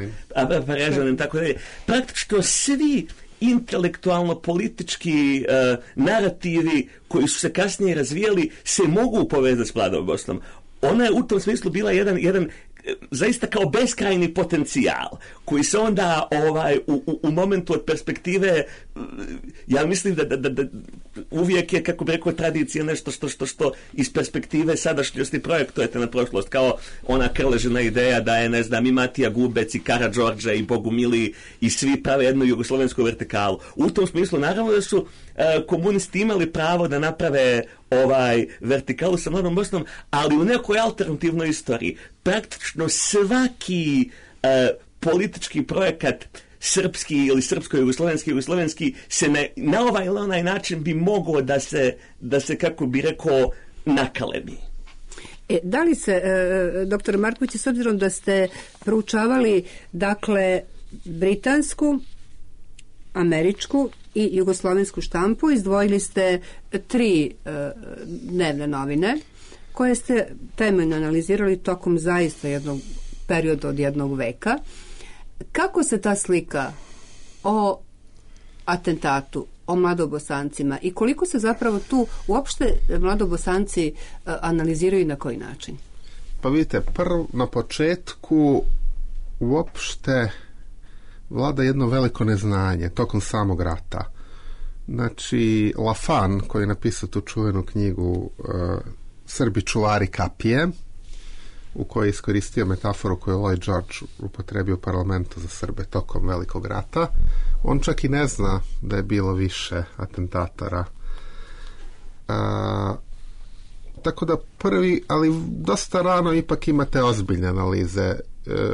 Parežanin, tako dalje. Praktično svi intelektualno-politički uh, narativi koji su se kasnije razvijali se mogu povezati s Mladom Bosnom. Ona je u tom smislu bila jedan, jedan zaista kao beskrajni potencijal koji se onda ovaj, u, u, u momentu od perspektive, ja mislim da, da, da, da uvijek je, kako bi rekao, tradicija nešto što, što, što iz perspektive sadašnjosti projektujete na prošlost, kao ona Krležina ideja da je, ne znam, i Matija Gubec i Karađorđe i Bogumili i svi prave jednu jugoslovensku vertikalu. U tom smislu naravno da su uh, komunisti imali pravo da naprave ovaj vertikalu sa Mladom Bosnom, ali u nekoj alternativnoj istoriji praktično svaki uh, politički projekat srpski ili srpsko-jugoslovenski, jugoslovenski se ne, na ovaj ili onaj način bi mogao da se, da se, kako bi rekao, nakalebi. E, da li se, e, doktor Marković, s obzirom da ste proučavali, dakle, britansku, američku i jugoslovensku štampu, izdvojili ste tri e, dnevne novine koje ste temeljno analizirali tokom zaista jednog perioda od jednog veka. Kako se ta slika o atentatu, o mladobosancima i koliko se zapravo tu uopšte mladobosanci uh, analiziraju i na koji način? Pa vidite, prvo na početku uopšte vlada jedno veliko neznanje tokom samog rata. Znači, Lafan, koji je napisao tu čuvenu knjigu uh, Srbi čuvari kapije, u kojoj je iskoristio metaforu koju je Lloyd George upotrebio u parlamentu za Srbe tokom Velikog rata. On čak i ne zna da je bilo više atentatora. A, tako da prvi, ali dosta rano ipak imate ozbiljne analize. E,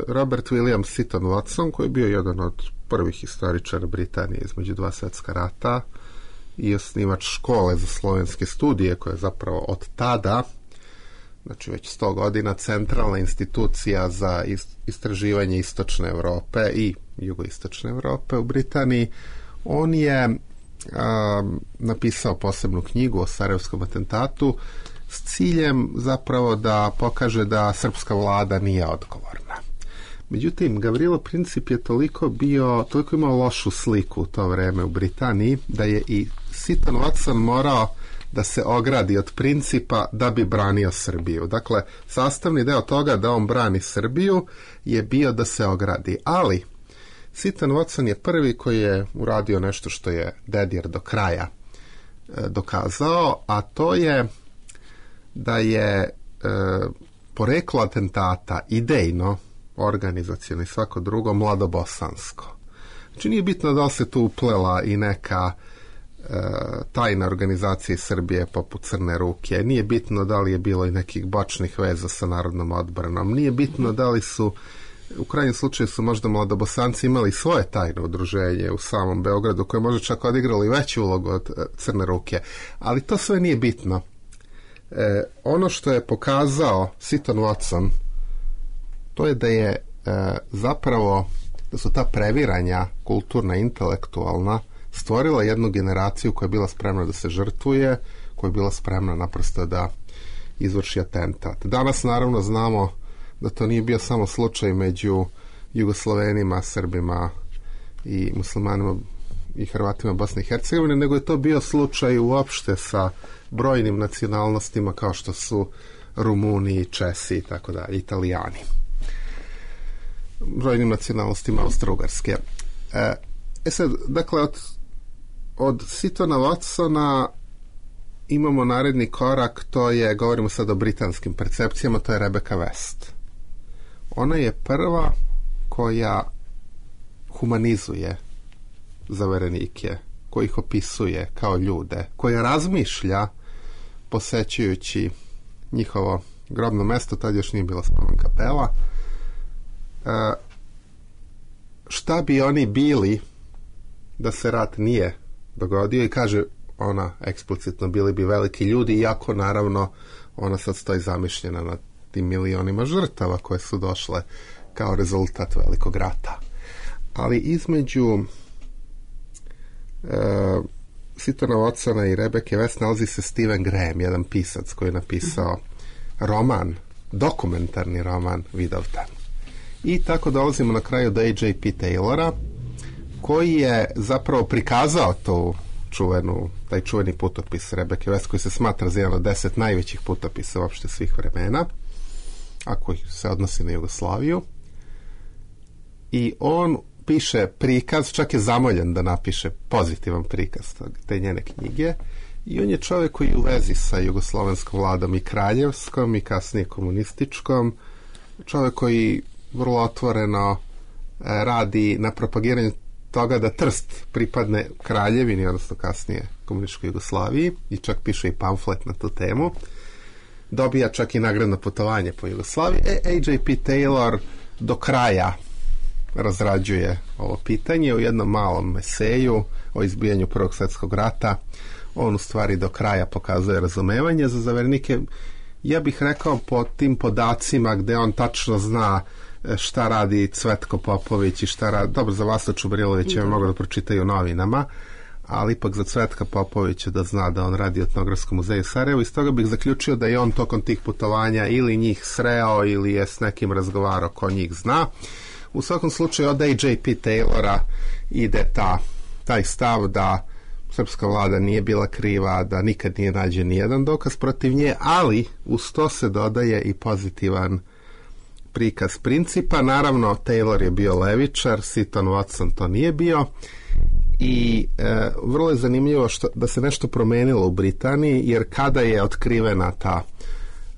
Robert William Seton Watson, koji je bio jedan od prvih historičara Britanije između dva svjetska rata i osnivač škole za slovenske studije, koja je zapravo od tada, znači već sto godina, centralna institucija za istraživanje istočne Europe i jugoistočne Europe u Britaniji. On je um, napisao posebnu knjigu o Sarajevskom atentatu s ciljem zapravo da pokaže da srpska vlada nije odgovorna. Međutim, Gavrilo Princip je toliko bio, toliko imao lošu sliku u to vreme u Britaniji, da je i Seton Watson morao da se ogradi od Principa da bi branio Srbiju. Dakle, sastavni deo toga da on brani Srbiju je bio da se ogradi. Ali, Sitan Watson je prvi koji je uradio nešto što je Dedijer do kraja e, dokazao, a to je da je e, poreklo atentata idejno, organizacijalno i svako drugo mladobosansko. Znači nije bitno da li se tu uplela i neka e, tajna organizacija iz Srbije poput Crne ruke, nije bitno da li je bilo i nekih bočnih veza sa Narodnom odbranom, nije bitno da li su, u krajnjem slučaju su možda mladobosanci imali svoje tajno udruženje u samom Beogradu koje možda čak odigrali veću ulogu od e, Crne ruke, ali to sve nije bitno. E, ono što je pokazao Sitan Watson, to je da je e, zapravo da su ta previranja kulturna, intelektualna stvorila jednu generaciju koja je bila spremna da se žrtvuje, koja je bila spremna naprosto da izvrši atentat. Danas naravno znamo da to nije bio samo slučaj među Jugoslovenima, Srbima i muslimanima i Hrvatima Bosne i Hercegovine, nego je to bio slučaj uopšte sa brojnim nacionalnostima kao što su Rumuni, Česi i tako dalje, Italijani. Brojnim nacionalnostima Austro-Ugarske. E, e sad, dakle, od, od Sitona Watsona imamo naredni korak, to je, govorimo sad o britanskim percepcijama, to je Rebecca West. Ona je prva koja humanizuje zaverenike, koji ih opisuje kao ljude, koja razmišlja posećujući njihovo grobno mesto, tad još nije bila spomen kapela, e, šta bi oni bili da se rat nije dogodio, i kaže ona eksplicitno, bili bi veliki ljudi, iako naravno ona sad stoji zamišljena na tim milionima žrtava koje su došle kao rezultat velikog rata. Ali između e, Sitona Watsona i Rebecca West nalazi se Stephen Graham, jedan pisac koji je napisao roman, dokumentarni roman Vidovdan. I tako dolazimo na kraju do A J P Taylora, koji je zapravo prikazao tu čuvenu, taj čuveni putopis Rebecca West, koji se smatra za jedan od deset najvećih putopisa uopšte svih vremena, a koji se odnosi na Jugoslaviju. I on piše prikaz, čak je zamoljen da napiše pozitivan prikaz te njene knjige, i on je čovjek koji je u vezi sa jugoslovenskom vladom i kraljevskom i kasnije komunističkom, čovjek koji vrlo otvoreno radi na propagiranju toga da Trst pripadne kraljevini, odnosno kasnije komunističkoj Jugoslaviji, i čak piše i pamflet na tu temu. Dobija čak i nagradno putovanje po Jugoslaviji. E, A J P Taylor do kraja razrađuje ovo pitanje u jednom malom eseju o izbijanju Prvog svjetskog rata. On u stvari do kraja pokazuje razumevanje za zavernike. Ja bih rekao po tim podacima gde on tačno zna šta radi Cvetko Popović i šta radi, dobro, za Vasu Čubrilovića ja mogu da pročitaju u novinama, ali ipak za Cvetka Popovića da zna da on radi u Etnografskom muzeju Sarajevo, i stoga bih zaključio da je on tokom tih putovanja ili njih sreo ili je s nekim razgovarao ko njih zna. U svakom slučaju od A J P Taylora ide ta, taj stav da srpska vlada nije bila kriva, da nikad nije nađen nijedan dokaz protiv nje, ali uz to se dodaje i pozitivan prikaz principa. Naravno, Taylor je bio levičar, Siton Watson to nije bio, i e, vrlo je zanimljivo što, da se nešto promenilo u Britaniji, jer kada je otkrivena ta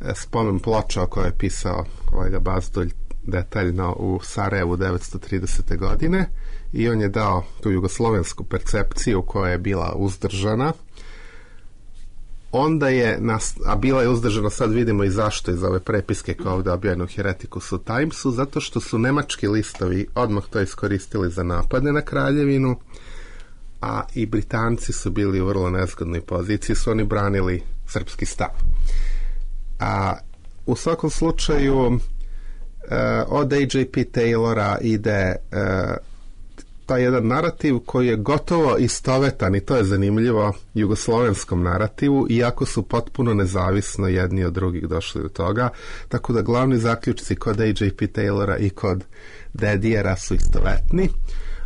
e, spomen ploča o kojoj je pisao kolega Bazdulj detaljno u Sarajevu devetsto tridesete godine, i on je dao tu jugoslovensku percepciju koja je bila uzdržana, onda je, nas, a bila je uzdržana, sad vidimo i zašto iz ove prepiske kao ovdje objavljeno u Heretikusu Timesu, zato što su nemački listovi odmah to iskoristili za napade na kraljevinu, a i Britanci su bili u vrlo nezgodnoj poziciji, su oni branili srpski stav. A u svakom slučaju uh, od A J P Taylora ide uh, taj jedan narativ koji je gotovo istovetan, i to je zanimljivo, jugoslovenskom narativu, iako su potpuno nezavisno jedni od drugih došli do toga, tako da glavni zaključci kod A J P Taylora i kod Dedijera su istovetni,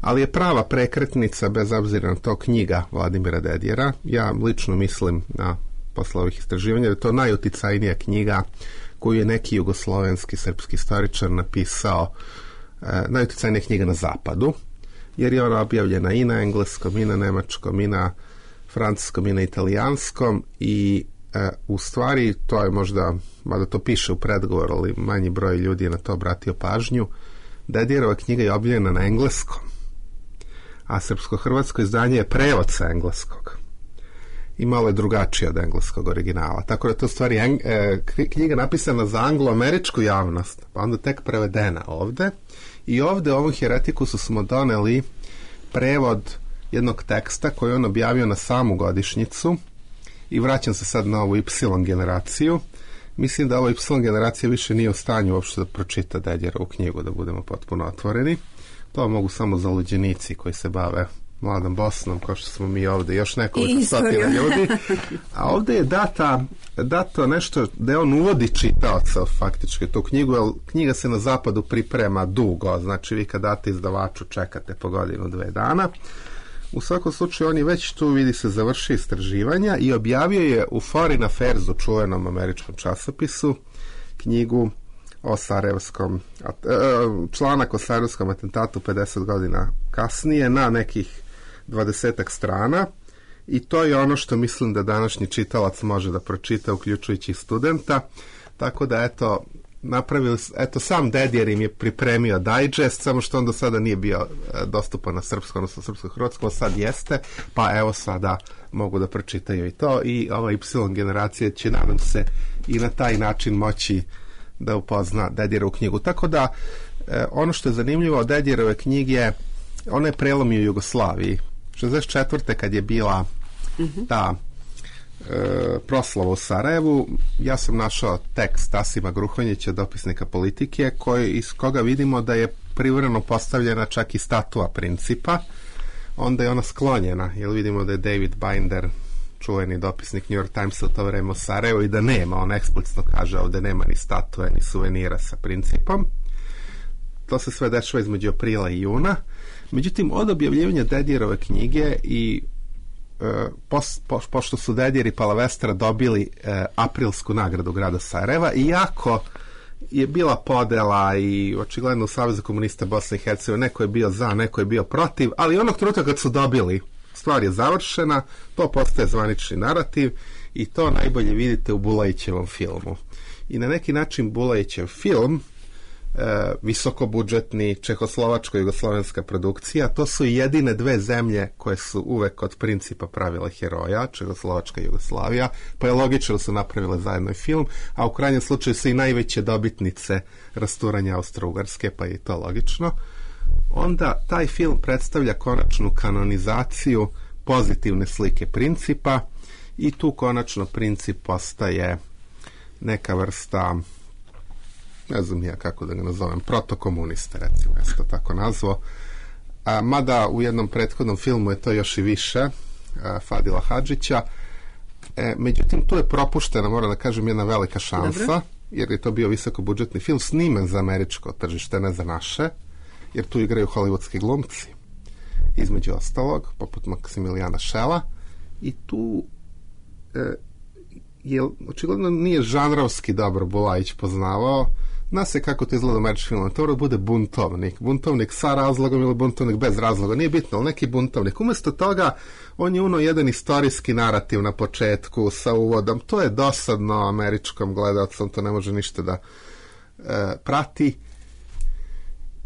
ali je prava prekretnica, bez obzira na to, knjiga Vladimira Dedijera. Ja lično mislim, na posle ovih istraživanja, da je to najuticajnija knjiga koju je neki jugoslovenski srpski istoričar napisao, e, najuticajnija knjiga na zapadu. jer je ona objavljena i na engleskom, i na nemačkom, i na francuskom, i na italijanskom i e, u stvari to je možda, mada to piše u predgovoru, ali manji broj ljudi je na to obratio pažnju, Dedijerova knjiga je objavljena na engleskom, a srpsko-hrvatsko izdanje je prevod sa engleskog i malo je drugačije od engleskog originala. Tako da to u stvari eng, e, knjiga napisana za anglo-američku javnost, pa onda tek prevedena ovde. I ovde ovom Heretikusu smo doneli prevod jednog teksta koji on objavio na samu godišnjicu i vraćam se sad na ovu Y generaciju. Mislim da ova Y generacija više nije u stanju uopšte da pročita Dedijerovu knjigu, da budemo potpuno otvoreni. To mogu samo zaluđenici koji se bave mladom Bosnom, kao što smo mi ovde, još nekoliko stotina ljudi. A ovde je data, dato nešto da on uvodi čitaoca faktički tu knjigu, jer knjiga se na zapadu priprema dugo, znači vi kad date izdavaču čekate po godinu, dve dana. U svakom slučaju on je već tu, vidi se, završio istraživanja i objavio je u Foreign Affairs, u čuvenom američkom časopisu, knjigu o Sarajevskom, članak o Sarajevskom atentatu pedeset godina kasnije na nekih dvadesetak strana i to je ono što mislim da današnji čitalac može da pročita, uključujući studenta, tako da eto napravili, eto sam Dedijer im je pripremio digest, samo što on do sada nije bio dostupan na srpskom, odnosno srpsko-hrvatskom, sad jeste, pa evo sada mogu da pročitaju i to i ova Y generacija će, nadam se, i na taj način moći da upozna Dedijerovu knjigu. Tako da, e, ono što je zanimljivo od Dedijerove knjige, ona je prelomio Jugoslaviji. šezdeset četvrte kad je bila ta e, proslava u Sarajevu, ja sam našao tekst Asima Gruhonjića, dopisnika Politike, koji, iz koga vidimo da je privremeno postavljena čak i statua Principa. Onda je ona sklonjena, jer vidimo da je David Binder, čuveni dopisnik New York Timesa u to vreme u Sarajevu, i da nema, on eksplicitno kaže ovde nema ni statue, ni suvenira sa Principom. To se sve dešava između aprila i juna. Međutim, od objavljivanja Dedijerove knjige i e, pos, po, pošto su Dedijer i Palavestra dobili e, aprilsku nagradu grada Sarajeva, iako je bila podela i očigledno u Savezu komunista Bosne i Hercegovine, neko je bio za, neko je bio protiv, ali onog trenutka kad su dobili, stvar je završena, to postaje zvanični narativ i to najbolje vidite u Bulajićevom filmu. I na neki način Bulajićev film, e, visokobudžetni čehoslovačko-jugoslovenska produkcija, to su jedine dve zemlje koje su uvek od Principa pravile heroja, Čehoslovačka i Jugoslavija, pa je logično da su napravile zajedno film, a u krajnjem slučaju su i najveće dobitnice rasturanja Austro-Ugarske, pa je i to logično. Onda taj film predstavlja konačnu kanonizaciju pozitivne slike Principa i tu konačno Princip postaje neka vrsta, ne znam ja kako da ga nazovem, protokomunista, recimo, ja sam to tako nazvao. A, mada u jednom prethodnom filmu je to još i više, a, Fadila Hadžića. E, međutim, tu je propuštena, moram da kažem, jedna velika šansa, dobro, jer je to bio visokobudžetni film snimen za američko tržište, ne za naše, jer tu igraju hollywoodski glumci, između ostalog, poput Maksimilijana Šela, i tu e, je, očigledno nije žanrovski dobro Bulajić poznavao. Zna se kako to izgleda u američkim filmom, to bude buntovnik, buntovnik sa razlogom ili buntovnik bez razloga, nije bitno, ali neki buntovnik. Umesto toga, on je uno jedan istorijski narativ na početku sa uvodom, to je dosadno američkom gledalcom, to ne može ništa da e, prati.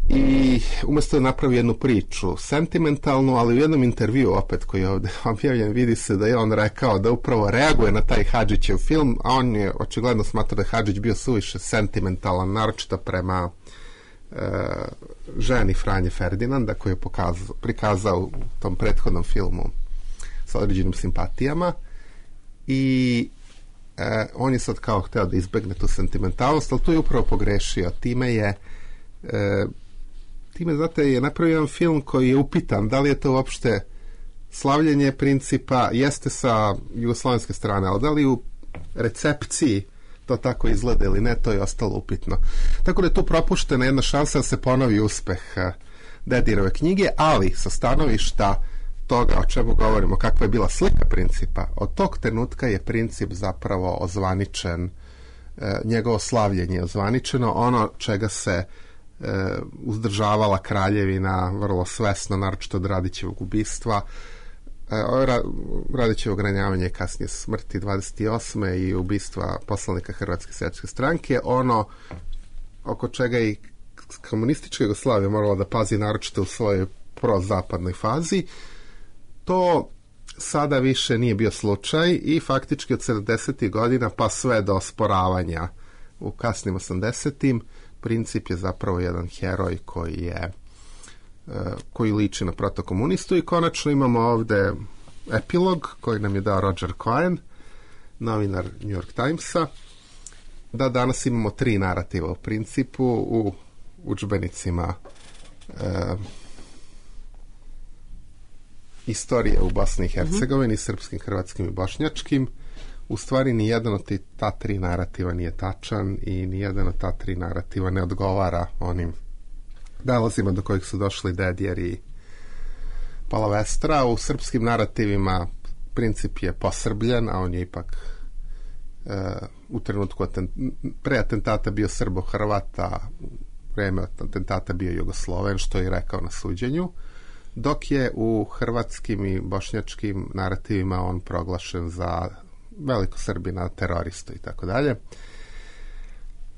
I umesto je napravio jednu priču sentimentalnu, ali u jednom intervju opet koji je ovde objavljen vidi se da je on rekao da upravo reaguje na taj Hadžićev film, a on je očigledno smatrao da je Hadžić bio suviše sentimentalan, naročito prema e, ženi Franje Ferdinanda koju je pokazao, prikazao u tom prethodnom filmu sa određenim simpatijama i e, on je sad kao hteo da izbegne tu sentimentalnost, ali tu je upravo pogrešio. Time je e, time, znate, je napravio jedan film koji je upitan da li je to uopšte slavljenje Principa, jeste sa jugoslovenske strane, ali da li u recepciji to tako izgleda ili ne, to je ostalo upitno. Tako da je tu propuštena jedna šansa da se ponovi uspeh Dedijerove knjige, ali sa stanovišta toga o čemu govorimo, kakva je bila slika Principa, od tog trenutka je Princip zapravo ozvaničen, njegovo slavljenje je ozvaničeno, ono čega se uzdržavala kraljevina vrlo svesno, naročito od Radićevog ubistva. Radićevo ranjavanje, kasnije smrti dvadeset osme i ubistva poslanika Hrvatske seljačke stranke, ono oko čega i komunistička Jugoslavija morala da pazi naročito u svojoj prozapadnoj fazi, to sada više nije bio slučaj i faktički od sedamdesetih godina pa sve do osporavanja u kasnim osamdesetim Princip je zapravo jedan heroj koji je koji liči na protokomunistu i konačno imamo ovde epilog koji nam je dao Roger Cohen, novinar New York Timesa, da danas imamo tri narativa u Principu u udžbenicima e, istorije u Bosni i Hercegovini, mm-hmm. srpskim, hrvatskim i bošnjačkim. U stvari nijedan od ta tri narativa nije tačan i nijedan od ta tri narativa ne odgovara onim dalazima do kojih su došli Dedjer i Palavestra. U srpskim narativima Princip je posrbljen, a on je ipak e, u trenutku atent, pre atentata bio Srbo-Hrvata, vreme atentata bio Jugosloven, što je rekao na suđenju, dok je u hrvatskim i bošnjačkim narativima on proglašen za veliko Srbina, teroristu i tako dalje.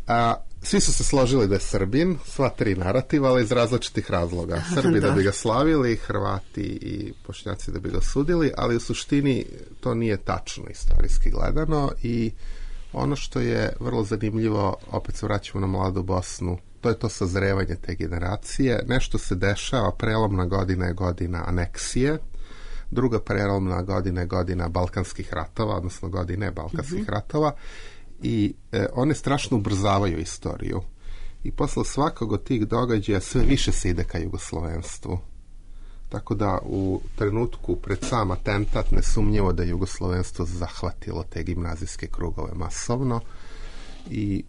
A svi su se složili da je Srbin, sva tri narativa, ali iz različitih razloga. Srbi da. da bi ga slavili, Hrvati i Bošnjaci da bi ga sudili, ali u suštini to nije tačno istorijski gledano i ono što je vrlo zanimljivo, opet se vraćamo na mladu Bosnu, to je to sazrevanje te generacije. Nešto se dešava, prelomna godina je godina aneksije, druga prelomna godina je godina Balkanskih ratova, odnosno godine Balkanskih mm-hmm. ratova, i e, one strašno ubrzavaju istoriju. I posle svakog od tih događaja sve više se ide ka jugoslovenstvu. Tako da u trenutku pred sam atentat nesumnjivo da je jugoslovenstvo zahvatilo te gimnazijske krugove masovno i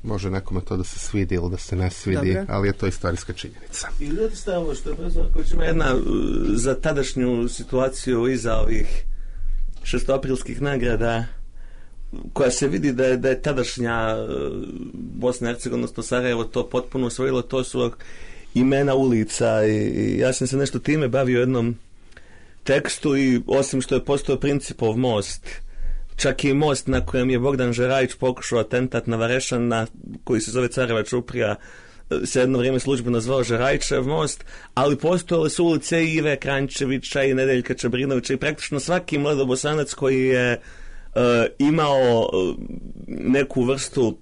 može nekome to da se svidi ili da se ne svidi, Dobre. ali je to istorijska činjenica. I ljudi stavimo što je profesor Ković ima jedna za tadašnju situaciju iza ovih šestoaprilskih nagrada koja se vidi da je, da je tadašnja Bosna i Hercegovina, odnosno Sarajevo to potpuno osvojilo, to su imena ulica i, i ja sam se nešto time bavio u jednom tekstu i osim što je postao Principov most, čak i most na kojem je Bogdan Žerajić pokušao atentat na Varešana, koji se zove Careva Čuprija, se jedno vrijeme službeno zvao Žerajićev most, ali postojale su ulice i Ive Kranjčevića i Nedeljka Čabrinovića i praktično svaki mladobosanac koji je uh, imao uh, neku vrstu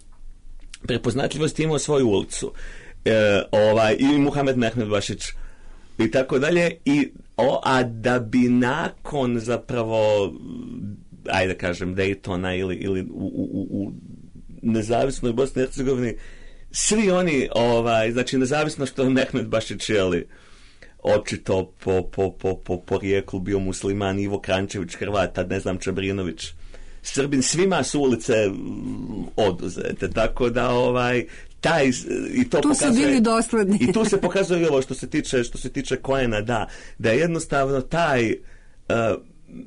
prepoznatljivosti imao svoju ulicu. E, ovaj, i Muhamed Mehmed Bašić i tako dalje. I, o, a da bi nakon zapravo ajde kažem Daytona ili, ili u, u, u nezavisnoj Bosni i Hercegovini svi oni, ovaj, znači nezavisno što je Mehmed Bašić jeli očito po, po, po, po porijeklu bio musliman, Ivo Krančević Hrvata, ne znam, Čabrinović Srbin, svima su ulice oduzete, tako da ovaj taj i to tu pokazuje, su bili dosledni. I tu se pokazuje ovo što se tiče što se tiče Cohena, da da je jednostavno taj uh,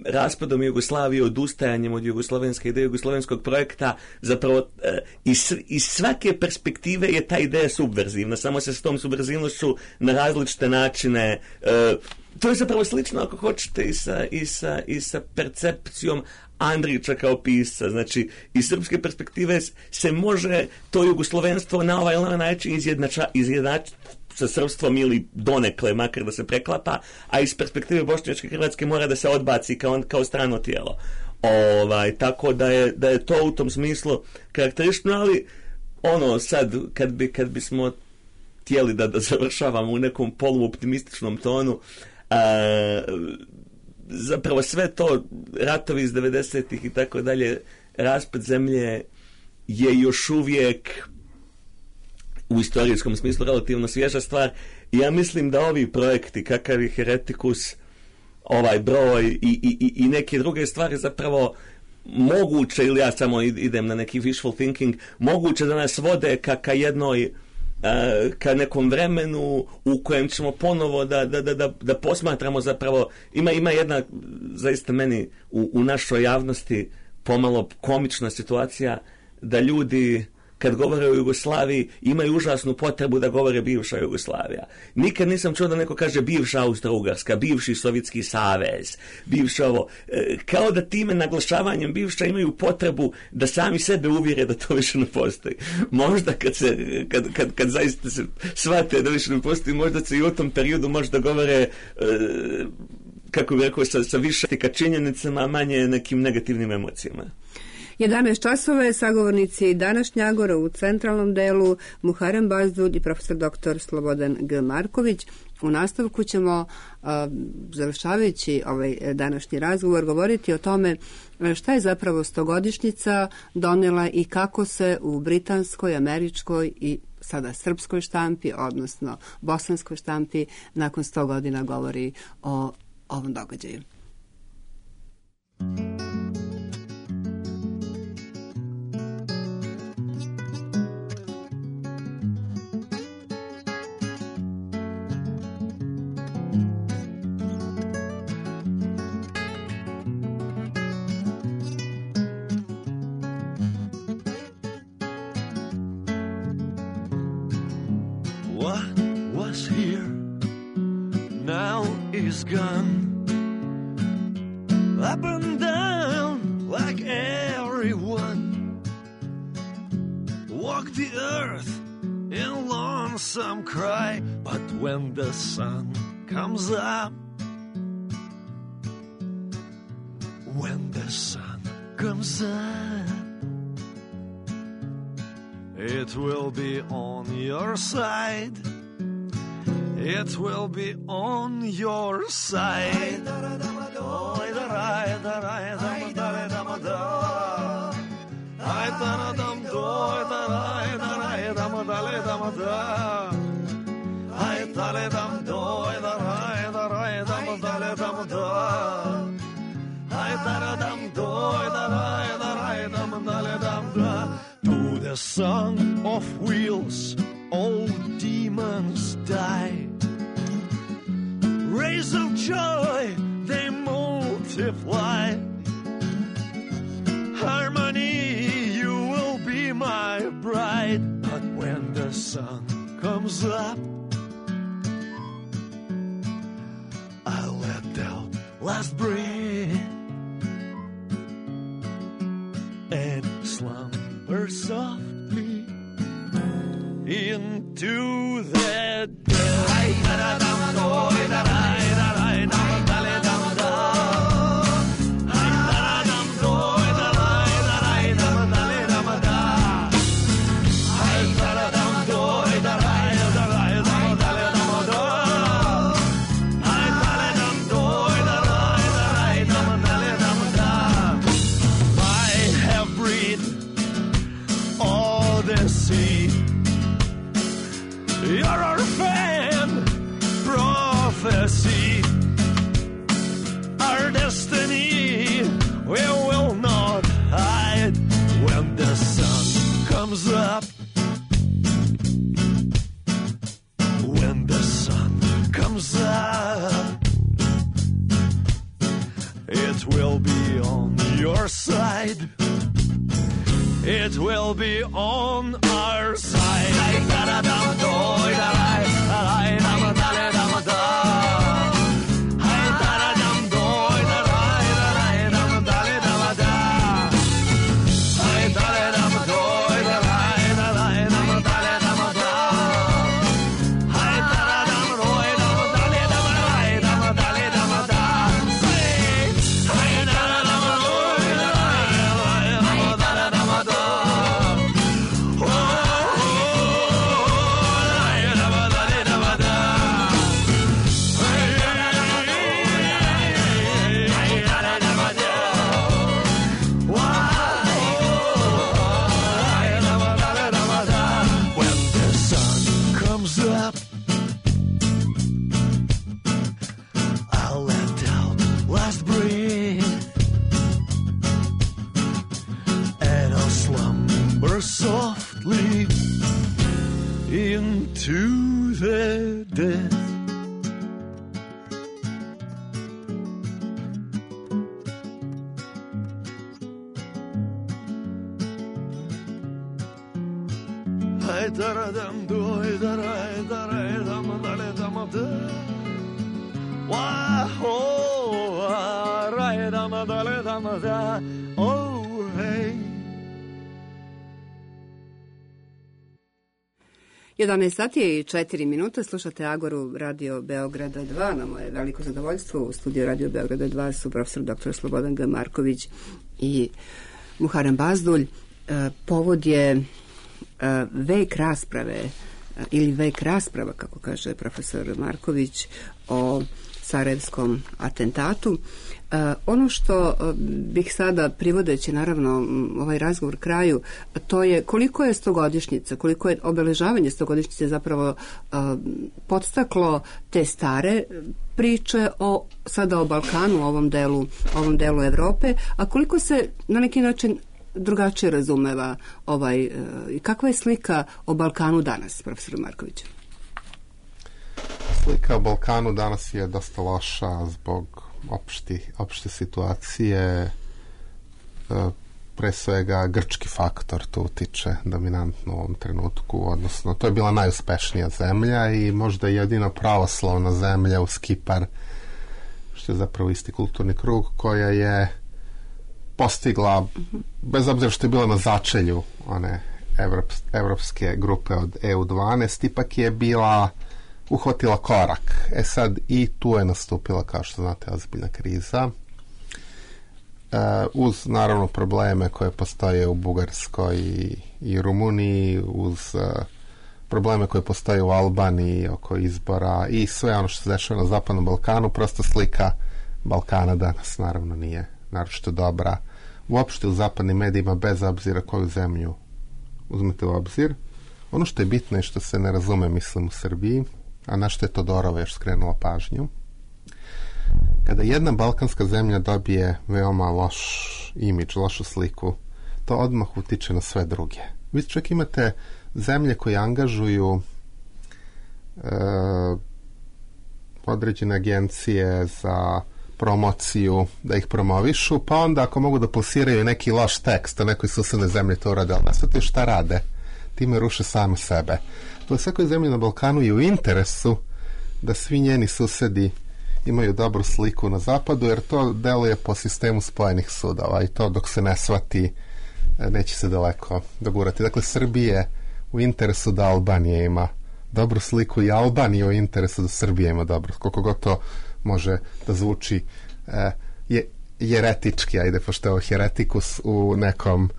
raspadom Jugoslavije, odustajanjem od jugoslovenske ideje, jugoslovenskog projekta, zapravo uh, iz, iz svake perspektive je ta ideja subverzivna, samo se s tom subverzivnošću na različite načine uh, to je zapravo slično ako hoćete i sa, i sa, i sa percepcijom Andrića kao pisca, znači iz srpske perspektive se može to jugoslovenstvo na ovaj način izjednača, izjednačiti sa srpstvom ili donekle, makar da se preklapa, a iz perspektive bošnjačke Hrvatske mora da se odbaci kao, kao strano tijelo. Ovaj, tako da je, da je to u tom smislu karakteristično, ali ono sad, kad, bi, kad bismo htjeli da, da završavamo u nekom poluoptimističnom tonu, a, zapravo sve to, ratovi iz devedesetih i tako dalje, raspad zemlje je još uvijek u istorijskom smislu relativno svježa stvar i ja mislim da ovi projekti kakav je Heretikus, ovaj broj i, i, i neke druge stvari zapravo moguće, ili ja samo idem na neki wishful thinking, moguće da nas vode ka, ka jednoj ka nekom vremenu u kojem ćemo ponovo da, da, da, da, da posmatramo zapravo, ima, ima jedna zaista meni u, u našoj javnosti pomalo komična situacija da ljudi kad govore o Jugoslaviji, imaju užasnu potrebu da govore bivša Jugoslavija. Nikad nisam čuo da neko kaže bivša Austro-Ugarska, bivši Sovjetski savez, bivša ovo. Kao da time naglašavanjem bivša imaju potrebu da sami sebe uvjere da to više ne postoji. Možda kad se, kad, kad, kad zaista se shvate da više ne postoji, možda se i u tom periodu možda govore e, kako bih rekao, sa, sa više ka činjenicama, a manje nekim negativnim emocijama. jedanaest časova je sagovornici današnja Agora u centralnom delu Muharrem Bazdulj i profesor doktor Slobodan G. Marković. U nastavku ćemo, uh, završavajući ovaj današnji razgovor, govoriti o tome šta je zapravo stogodišnjica donela i kako se u britanskoj, američkoj i sada srpskoj štampi, odnosno bosanskoj štampi, nakon sto godina govori o ovom događaju. What was here now is gone. Up and down like everyone. Walk the earth in lonesome cry. But when the sun comes up, when the sun comes up, it will be on your side. It will be on your side. To the song of wheels, all demons die. Rays of joy, they multiply. Harmony, you will be my bride. But when the sun comes up, I'll let out last breath and slumber softly into the dead. You're our fan, prophecy, our destiny, we will not hide. When the sun comes up, when the sun comes up, it will be on your side. It will be on our side. Softly into the death. Daj da dam doj da raj da raj dam da le dam da wa ho raj dam da le dam da oh hey. jedanaest sati i četiri minuta, slušate Agoru Radio Beograda dva. Na moje veliko zadovoljstvo u studiju Radio Beograda dva su profesor doktor Slobodan G. Marković i Muharrem Bazdulj. Povod je vek rasprave ili vek rasprava, kako kaže profesor Marković, o sarajevskom atentatu. Ono što bih sada, privodeći naravno ovaj razgovor kraju, to je koliko je stogodišnjica, koliko je obeležavanje stogodišnjice zapravo podstaklo te stare priče o sada o Balkanu, ovom delu, ovom delu Evrope, a koliko se na neki način drugačije razumeva ovaj, kakva je slika o Balkanu danas, profesor Marković? Slika o Balkanu danas je dosta loša zbog opšti, opšte situacije. Pre svega grčki faktor tu utiče dominantno u ovom trenutku, odnosno to je bila najuspešnija zemlja i možda jedina pravoslavna zemlja uz Kipar, što je zapravo isti kulturni krug, koja je postigla, bez obzira što je bila na začelju one evrops, evropske grupe od E U dvanaest, ipak je bila uhvatila korak. E sad i tu je nastupila, kao što znate, ozbiljna kriza. E, uz naravno probleme koje postoje u Bugarskoj i, i Rumuniji, uz uh, probleme koje postoje u Albaniji oko izbora i sve ono što se dešava na Zapadnom Balkanu, prosto slika Balkana danas naravno nije naročito dobra. Uopšte u zapadnim medijima, bez obzira koju zemlju uzmete u obzir. Ono što je bitno je što se ne razume, mislim, u Srbiji, a na što je Todorova još skrenula pažnju. Kada jedna balkanska zemlja dobije veoma loš imidž, lošu sliku, to odmah utiče na sve druge. Vi čak imate zemlje koje angažuju e, određene agencije za promociju, da ih promovišu, pa onda ako mogu da plasiraju neki loš tekst o nekoj susednoj zemlji, to urade, ali nasvete šta rade, time ruše same sebe. To je svakoj zemlji na Balkanu i u interesu da svi njeni susedi imaju dobru sliku na zapadu, jer to deluje po sistemu spojenih sudova i to dok se ne shvati neće se daleko dogurati. Dakle, Srbije u interesu da Albanija ima dobru sliku i Albanija u interesu da Srbija ima dobru, koliko god to može da zvuči e, je, jeretički, ajde, pošto je ovo heretikus u nekom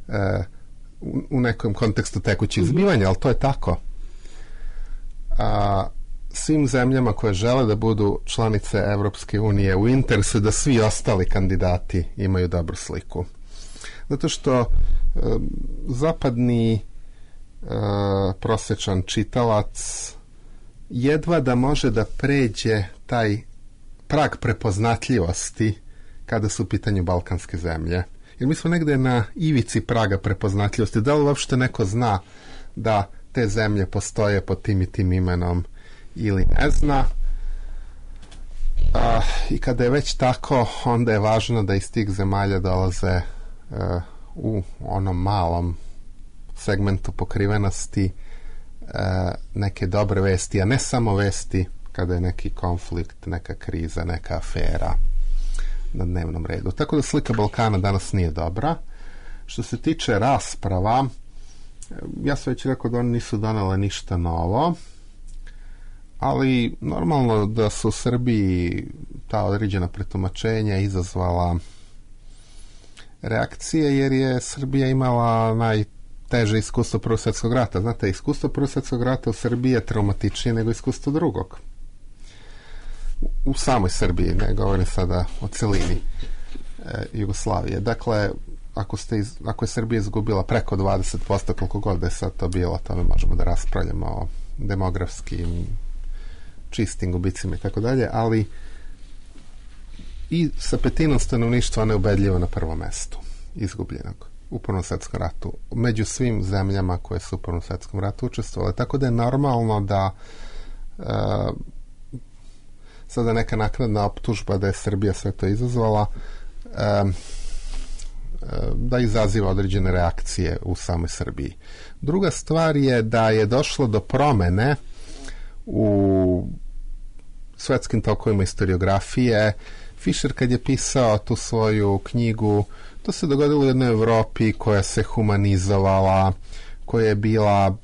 e, u, u nekom kontekstu tekućih zbivanja, ali to je tako. A svim zemljama koje žele da budu članice Evropske unije u interesu da svi ostali kandidati imaju dobru sliku. Zato što e, zapadni e, prosječan čitalac jedva da može da pređe taj prag prepoznatljivosti kada su u pitanju balkanske zemlje. Jer mi smo negde na ivici praga prepoznatljivosti. Da li uopšte neko zna da te zemlje postoje pod tim i tim imenom ili ne zna? A, I kada je već tako, onda je važno da iz tih zemalja dolaze uh, u onom malom segmentu pokrivenosti uh, neke dobre vesti, a ne samo vesti kada je neki konflikt, neka kriza, neka afera na dnevnom redu. Tako da slika Balkana danas nije dobra. Što se tiče rasprava, ja sam već rekao da oni nisu donele ništa novo, ali normalno da su u Srbiji ta određena pretumačenja izazvala reakcije, jer je Srbija imala najteže iskustvo Prvog svjetskog rata. Znate, iskustvo Prvog svjetskog rata u Srbiji je traumatičnije nego iskustvo drugog. U samoj Srbiji, ne govorim sada o celini e, Jugoslavije. Dakle, ako, ste iz, ako je Srbija izgubila preko dvadeset posto, koliko god da je sad to bilo, to mi možemo da raspravljamo o demografskim čistim gubicima i tako dalje, ali i sa petinom stanovništva neubedljivo na prvom mestu izgubljenog u Prvom svjetskom ratu, među svim zemljama koje su u Prvom svjetskom ratu učestvovale, tako da je normalno da e, sada neka naknadna optužba da je Srbija sve to izazvala, e, da izaziva određene reakcije u samoj Srbiji. Druga stvar je da je došlo do promene u svetskim tokovima historiografije. Fischer kad je pisao tu svoju knjigu, to se dogodilo u jednoj Evropi koja se humanizovala, koja je bila,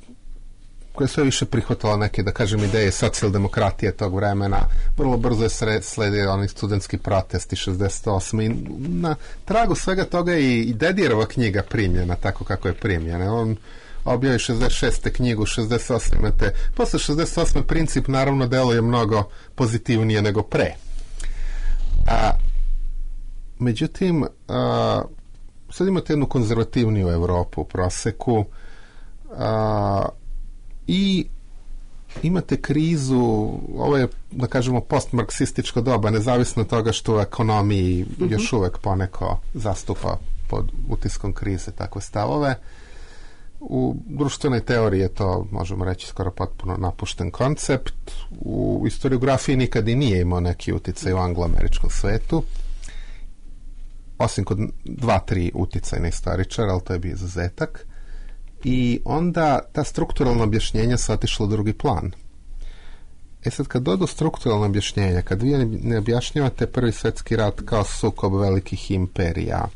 koja je sve više prihvatala neke, da kažem, ideje socijaldemokratije tog vremena. Vrlo brzo je sledio oni studentski protesti šezdeset osme. I na tragu svega toga je i Dedijerova knjiga primljena tako kako je primljena. On objavi šezdeset šeste knjigu, šezdeset osme imate, posle šezdeset osme princip naravno deluje mnogo pozitivnije nego pre. A, međutim, a, sad imate jednu konzervativniju Evropu u proseku, a, i imate krizu, ovo je, da kažemo, postmarksističko doba, nezavisno od toga što u ekonomiji mm-hmm. još uvek poneko zastupa pod utiskom krize takve stavove. U društvenoj teoriji je to, možemo reći, skoro potpuno napušten koncept. U historiografiji nikad i nije imao neki uticaj u angloameričkom svetu, osim kod dva, tri uticajne istoričara, ali to je bio izuzetak. I onda ta strukturalna objašnjenja su otišla u drugi plan. E sad, kad dodu strukturalna objašnjenja, kad vi ne objašnjavate Prvi svetski rat kao sukob velikih imperija,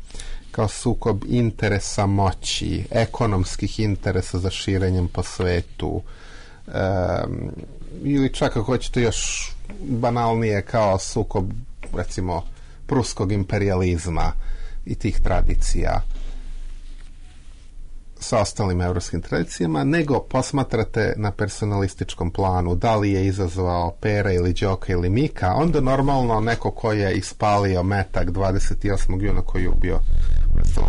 kao sukob interesa moći, ekonomskih interesa za širenjem po svetu, um, ili čak ako hoćete još banalnije kao sukob, recimo, pruskog imperijalizma i tih tradicija sa ostalim evropskim tradicijama, nego posmatrate na personalističkom planu da li je izazvao Pera ili Đoka ili Mika, onda normalno neko ko je ispalio metak dvadeset osmog juna koji je ubio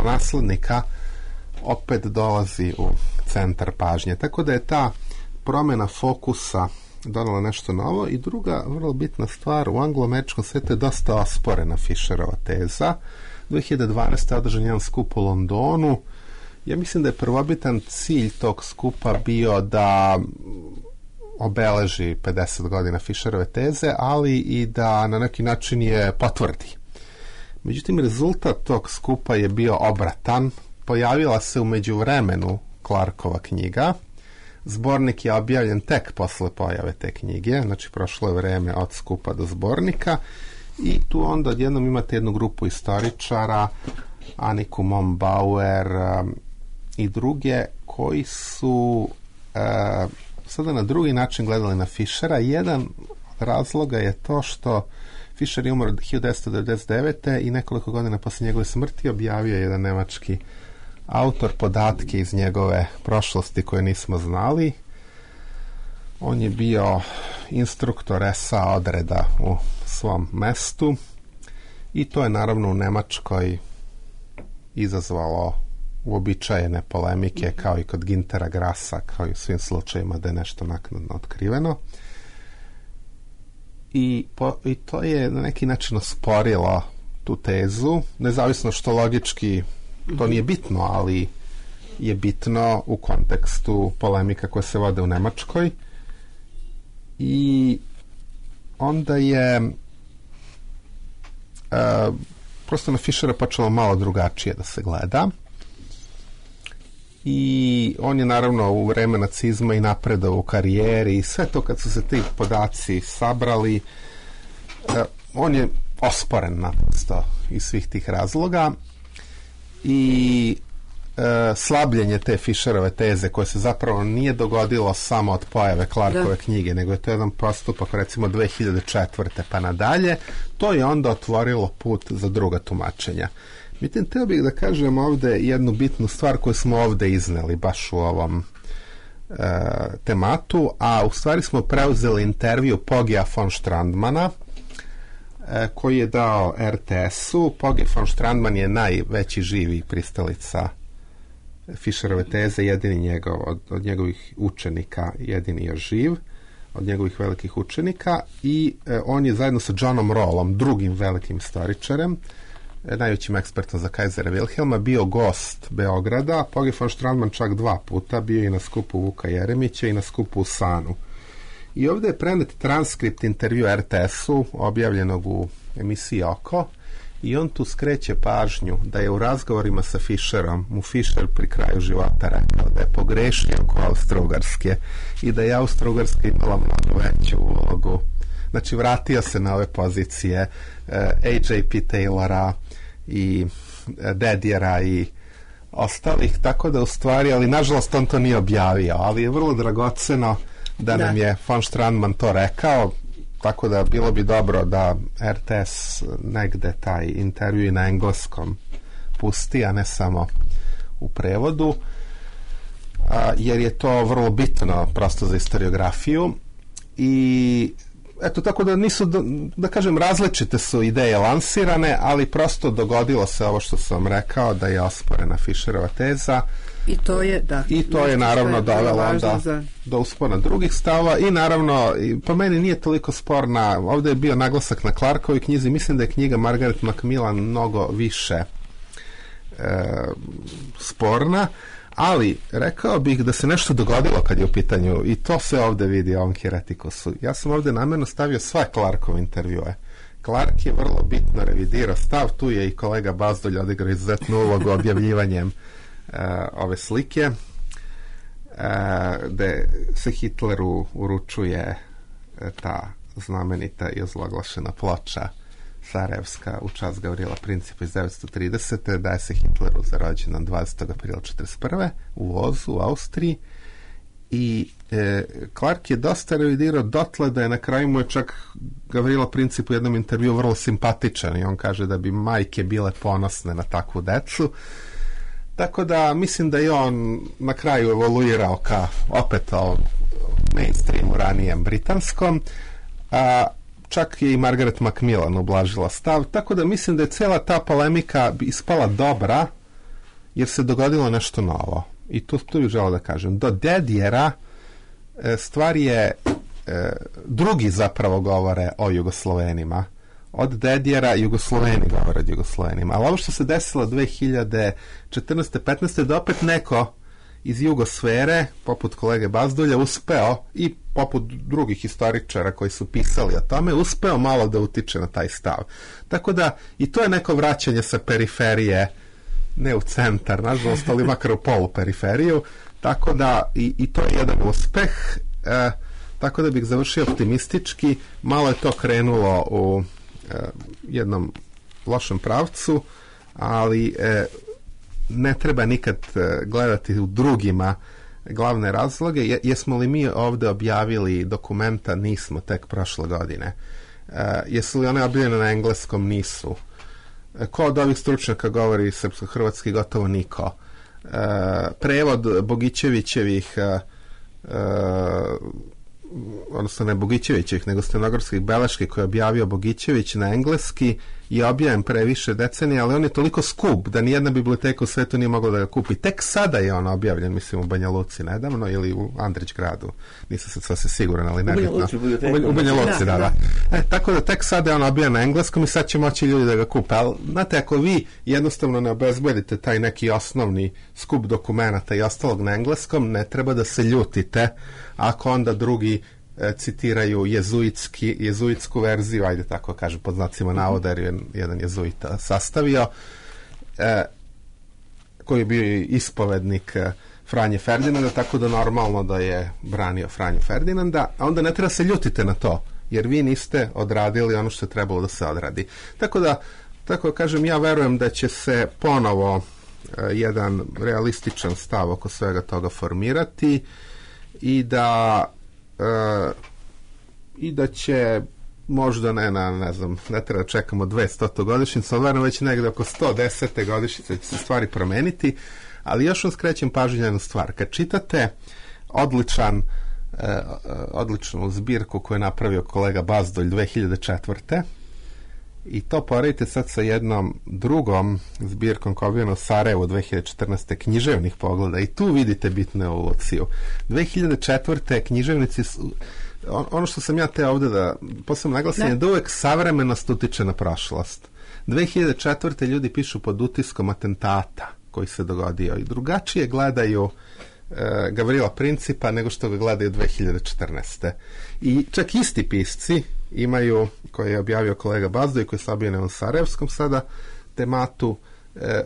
naslednika opet dolazi u centar pažnje. Tako da je ta promjena fokusa donala nešto novo. I druga vrlo bitna stvar, u anglo-američkom svijetu je dosta osporena Fischerova teza. dve hiljade dvanaeste. održan jedan skup u Londonu. Ja mislim da je prvobitan cilj tog skupa bio da obeleži pedeset godina Fischerove teze, ali i da na neki način je potvrdi. Međutim, rezultat tog skupa je bio obratan. Pojavila se u međuvremenu Clarkova knjiga. Zbornik je objavljen tek posle pojave te knjige, znači prošlo je vreme od skupa do zbornika i tu onda odjednom imate jednu grupu istoričara, Aniku Mombauer um, i druge, koji su uh, sada na drugi način gledali na Fischera. Jedan od razloga je to što Fischer je umro hiljadu devetsto devedeset devete. i nekoliko godina posle njegove smrti objavio jedan nemački autor podatke iz njegove prošlosti koje nismo znali. On je bio instruktor es a odreda u svom mestu i to je naravno u Nemačkoj izazvalo uobičajene polemike, kao i kod Gintera Grasa, kao i u svim slučajima da je nešto naknadno otkriveno. I, po, i to je na neki način osporilo tu tezu, nezavisno što logički to nije bitno, ali je bitno u kontekstu polemika koje se vode u Nemačkoj. I onda je uh, prosto na Fischera počelo malo drugačije da se gleda. I on je naravno u vreme nacizma i napredao u karijeri i sve to kad su se ti podaci sabrali, uh, on je osporen naprosto iz svih tih razloga. I e, slabljenje te Fischerove teze koje se zapravo nije dogodilo samo od pojave Clarkove da. knjige, nego je to jedan postupak recimo dve hiljade četvrte pa nadalje, to je onda otvorilo put za druga tumačenja. Međutim, teo bih da kažem ovde jednu bitnu stvar koju smo ovde izneli baš u ovom e, tematu, a u stvari smo preuzeli intervju Pogija von Strandmana koji je dao er te esu. Pogi von Strandman je najveći živi pristalica Fischerove teze, jedini njegov, od, od njegovih učenika, jedini još živ, od njegovih velikih učenika, i e, on je zajedno sa Johnom Rawlom, drugim velikim istoričarem, e, najvećim ekspertom za Kajzera Wilhelma, bio gost Beograda. Pogi von Strandman čak dva puta, bio i na skupu Vuka Jeremića i na skupu u Sanu. I ovdje je prenet transkript intervju er te esu objavljenog u emisiji Oko i on tu skreće pažnju da je u razgovorima sa Fischerom mu Fischer pri kraju života rekao da je pogrešio oko Austro-Ugarske i da je Austro-Ugarska imala mnogo veću ulogu. Znači vratio se na ove pozicije uh, A J P Taylora i uh, Dedjera i ostalih, tako da u stvari, ali nažalost on to nije objavio, ali je vrlo dragoceno da, da. nam je von Strandman to rekao, tako da bilo bi dobro da R T S negde taj intervju na engleskom pusti, a ne samo u prevodu, a, jer je to vrlo bitno prosto za historiografiju. I eto, tako da nisu, da, da kažem, različite su ideje lansirane, ali prosto dogodilo se ovo što sam rekao, da je osporena Fischerova teza. I to je, da. I to je naravno dovelo onda za... do uspona drugih stavova i naravno, po meni nije toliko sporna, ovdje je bio naglasak na Clarkovoj knjizi, mislim da je knjiga Margaret Macmillan mnogo više e, sporna, ali rekao bih da se nešto dogodilo kad je u pitanju, i to se ovdje vidi u ovom Heretikusu. Ja sam ovdje namjerno stavio sve Clarkove intervjue. Clark je vrlo bitno revidirao stav, tu je i kolega Bazdulj odigrao izuzetnu ulogu objavljivanjem uh, ove slike, uh, gde se Hitleru uručuje uh, ta znamenita i ozloglašena ploča Sarajevska u čast Gavrila Principa iz devetsto tridesete. Daje se Hitleru za rođendan dvadesetog aprila četrdeset prve u Ozu, u Austriji, i e, Clark je dosta revidirao dotle da je na kraju mu je čak Gavrilo Princip u jednom intervju vrlo simpatičan i on kaže da bi majke bile ponosne na takvu decu, tako da mislim da je on na kraju evoluirao ka opet o mainstreamu ranijem britanskom, a čak je i Margaret Macmillan ublažila stav, tako da mislim da je cijela ta polemika ispala dobra jer se dogodilo nešto novo. I tu, tu bih želeo da kažem. Do Dedjera e, stvar je, e, drugi zapravo govore o Jugoslovenima. Od Dedjera Jugosloveni govore o Jugoslovenima. Ali ovo što se desilo dve hiljade četrnaeste petnaeste da opet neko iz jugosfere, poput kolege Bazdulja, uspeo, i poput drugih historičara koji su pisali o tome, uspeo malo da utiče na taj stav. Tako da i to je neko vraćanje sa periferije, ne u centar, nažalost, ali makar u poluperiferiju, tako da i, i to je jedan uspeh, e, tako da bih završio optimistički. Malo je to krenulo u e, jednom lošem pravcu, ali e, ne treba nikad gledati u drugima glavne razloge. Je, jesmo li mi ovdje objavili dokumenta? Nismo, tek prošle godine. E, jesu li one objavljene na engleskom? Nisu. E, ko od ovih stručnjaka govori srpsko-hrvatski? Gotovo niko. E, prevod Bogićevićevih e, e, odnosno ne Bogićevićevih, nego stenografskih beleški koje je objavio Bogićević na engleski je objavljen pre više decenija, ali on je toliko skup da nijedna biblioteka u svetu nije mogla da ga kupi. Tek sada je on objavljen, mislim, u Banja Luci nedavno ili u Andrić gradu. Nisam sad sasvim siguran, ali nebitno. U Banja Luci, da, da. E, tako da tek sada je on objavljen na engleskom i sad će moći ljudi da ga kupe. Ali, znate, ako vi jednostavno ne obezbedite taj neki osnovni skup dokumenata i ostalog na engleskom, ne treba da se ljutite ako onda drugi e, citiraju jezuitski, jezuitsku verziju, ajde tako kažem, pod znacima navoda, jer je jedan jezuita sastavio, e, koji je bio ispovednik e, Franje Ferdinanda, tako da normalno da je branio Franju Ferdinanda, a onda ne treba se ljutite na to, jer vi niste odradili ono što je trebalo da se odradi. Tako da, tako kažem, ja verujem da će se ponovo e, jedan realističan stav oko svega toga formirati, i da e, i da će možda ne na, ne znam, ne treba čekamo dvesta godišnjicu, ali verujem već negdje oko sto desete godišnjice će se stvari promeniti, ali još vam skrećem pažnju na jednu stvar. Kad čitate odličan e, odličnu zbirku koju je napravio kolega Bazdulj dve hiljade četvrte i to poredite sad sa jednom drugom zbirkom koja je objavljena u Sarajevu dve hiljade četrnaeste književnih pogleda, i tu vidite bitnu evoluciju. dve hiljade četvrte književnici su, on, ono što sam ja te ovdje da posebno naglasim je da uvek savremenost utiče na prošlost. dve hiljade četvrte ljudi pišu pod utiskom atentata koji se dogodio i drugačije gledaju Gavrila Principa nego što ga gledaju dve hiljade četrnaeste. I čak isti pisci imaju, koji je objavio kolega Bazdoj, koji je objavio na Sarajevskom sada, tematu e,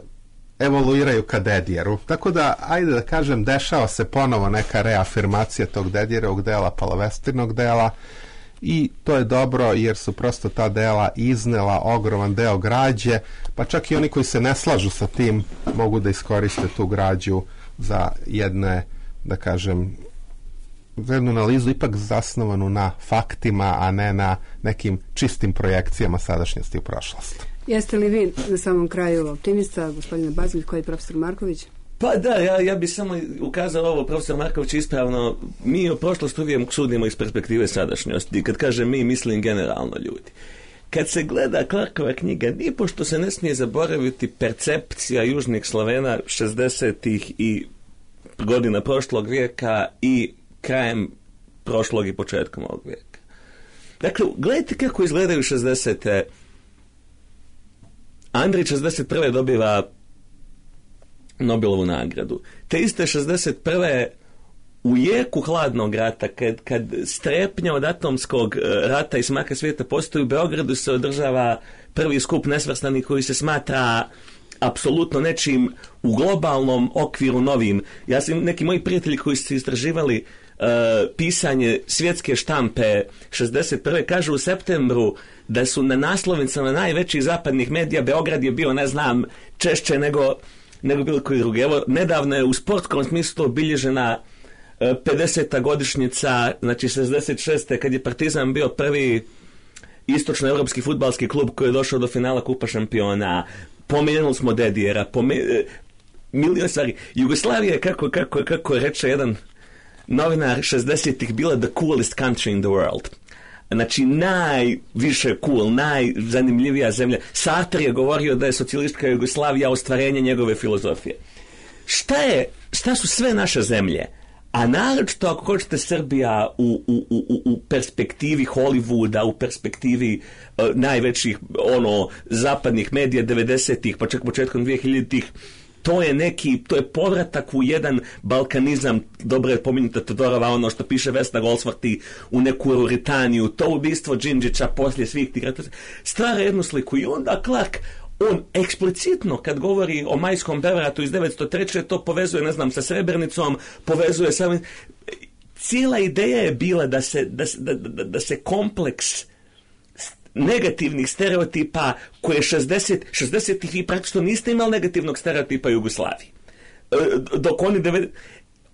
evoluiraju ka Dedjeru. Tako da, ajde da kažem, dešava se ponovo neka reafirmacija tog Dedjerovog dela, palovestirnog dela, i to je dobro jer su prosto ta dela iznela ogroman deo građe, pa čak i oni koji se ne slažu sa tim mogu da iskoriste tu građu za jedne, da kažem, za jednu analizu ipak zasnovanu na faktima, a ne na nekim čistim projekcijama sadašnjosti u prošlost. Jeste li vi na samom kraju optimista, gospodine Bazilj, koji je profesor Marković? Pa da, ja, ja bi samo ukazao ovo, profesor Marković, ispravno, mi u prošlost uvijek sudimo iz perspektive sadašnjosti. Kad kažem mi, mislim generalno ljudi. Kad se gleda Clarkova knjiga, nipošto se ne smije zaboraviti percepcija južnih Slovena šezdesetih i godina prošlog vijeka i krajem prošlog i početkom ovog vijeka. Dakle, gledajte kako izgledaju šezdesete. Andrić šezdeset prve dobiva Nobelovu nagradu. Te iste šezdeset prve u jeku hladnog rata, kad, kad strepnja od atomskog rata i smaka svijeta postoji, u Beogradu se održava prvi skup nesvrstanih koji se smatra apsolutno nečim u globalnom okviru novim. Ja sam, neki moji prijatelji koji su istraživali uh, pisanje svjetske štampe šezdeset prve kažu u septembru da su na naslovnicama najvećih zapadnih medija Beograd je bio, ne znam, češće nego, nego bilo koji drugi. Evo, nedavno je u sportskom smislu obilježena uh, pedeseta godišnjica, znači šezdeset šeste kad je Partizan bio prvi istočnoevropski fudbalski klub koji je došao do finala Kupa šampiona. Pomenuli smo Dedijera, pome... milion stvari. Jugoslavija je, kako, kako, kako reče jedan novinar šezdesetih, bila the coolest country in the world. Znači, najviše cool, najzanimljivija zemlja. Sartre je govorio da je socijalistička Jugoslavija ostvarenje njegove filozofije. Šta je, šta su sve naše zemlje? A naročito, ako hoćete, Srbija u, u, u, u perspektivi Hollywooda, u perspektivi uh, najvećih ono, zapadnih medija devedesetih, pa čak početkom dvije hiljaditih, to je neki, to je povratak u jedan balkanizam, dobro je pomenuta Todorova, ono što piše Vesna Goldsworthy, u neku Ruritaniju, to ubistvo Đinđića poslije svih tih rata, stvara jednu sliku. I onda Clark, on eksplicitno kad govori o majskom prevratu iz devetsto treće to povezuje, ne znam, sa Srebrenicom, povezuje sa... Cijela ideja je bila da se, da, da, da, da se kompleks negativnih stereotipa koje šezdeset, šezdesetih vi praktično niste imali negativnog stereotipa Jugoslaviji. Dok oni... devedeset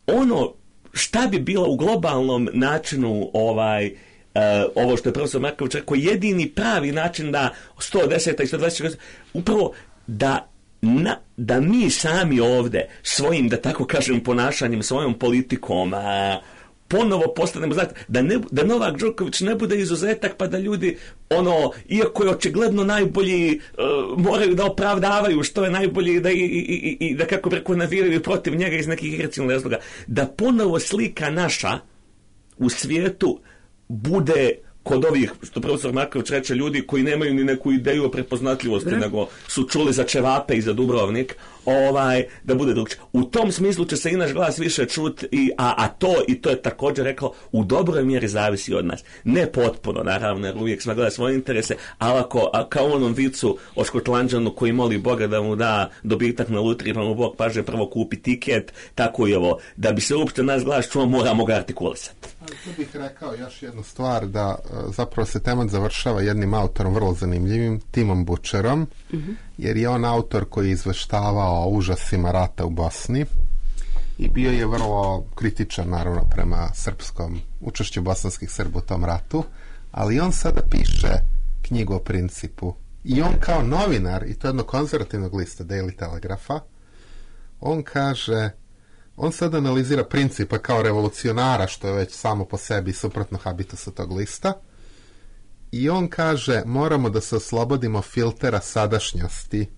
Ono šta bi bilo u globalnom načinu ovaj... Uh, ovo što je profesor Marković rekao, jedini pravi način da sto deseta i sto dvadeset upravo da, na, da mi sami ovde svojim, da tako kažem, ponašanjem, svojom politikom a, ponovo postanemo, znate, da, ne, da Novak Đoković ne bude izuzetak pa da ljudi, ono, iako je očigledno najbolji, uh, moraju da opravdavaju što je najbolji da, i, i, i, da kako preko naviraju protiv njega iz nekih irracionalnih razloga, da ponovo slika naša u svijetu bude kod ovih, što profesor Marković reče, ljudi koji nemaju ni neku ideju o prepoznatljivosti, Bre. nego su čuli za Čevape i za Dubrovnik, ovaj, da bude drugčije. U tom smislu će se i naš glas više čuti, i, a, a to, i to je također rekao, u dobroj mjeri zavisi od nas. Ne potpuno, naravno, jer uvijek smo gleda svoje interese, ali ako, a, kao u onom vicu o Škotlanđanu koji moli Boga da mu da dobitak na lutriji, pa mu Bog kaže prvo kupi tiket, tako i ovo. Da bi se uopšte naš glas čuo, moramo ga artikulisati. Ali tu bih rekao još jednu stvar, da zapravo se temat završava jednim autorom vrlo zanimljivim, Timom Butcherom, mm-hmm. jer je on autor koji je izveštavao o užasima rata u Bosni i bio je vrlo kritičan, naravno, prema srpskom učešću bosanskih Srba u tom ratu, ali on sada piše knjigu o Principu i on kao novinar, i to jednog konzervativnog lista Daily Telegrapha, on kaže, on sad analizira Principa kao revolucionara, što je već samo po sebi suprotno habitusu tog lista, i on kaže, moramo da se oslobodimo filtera sadašnjosti.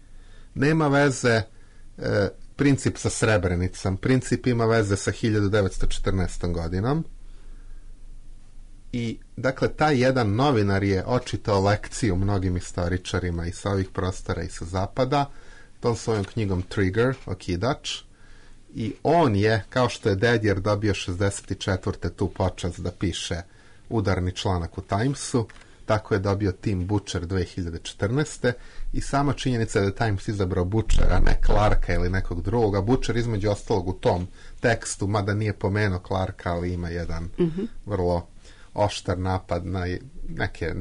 Nema veze e, Princip sa Srebrenicom, Princip ima veze sa hiljadu devetsto četrnaestom godinom. I, dakle, taj jedan novinar je očitao lekciju mnogim istoričarima i sa ovih prostora i sa zapada, tom svojom knjigom Trigger, okidač, i on je, kao što je Dedjer dobio šezdeset četvrte tu počast da piše udarni članak u Timesu, tako je dobio Tim Butcher dve hiljade četrnaeste i sama činjenica da je Times izabrao Butchera, ne Clarka ili nekog drugog, a Butcher između ostalog u tom tekstu, mada nije pomenuo Clarka, ali ima jedan mm-hmm. vrlo oštar napad na neke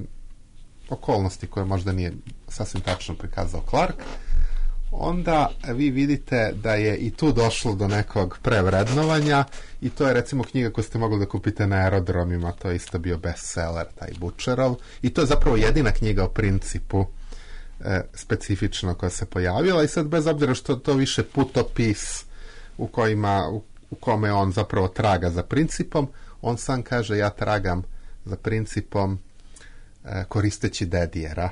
okolnosti koje možda nije sasvim tačno prikazao Clark, onda vi vidite da je i tu došlo do nekog prevrednovanja i to je recimo knjiga koju ste mogli da kupite na aerodromima, to je isto bio bestseller, taj Butcherov, i to je zapravo jedina knjiga o principu e, specifično koja se pojavila i sad bez obzira što to više putopis u, kojima, u, u kome on zapravo traga za principom, on sam kaže ja tragam za principom e, koristeći Dedjera.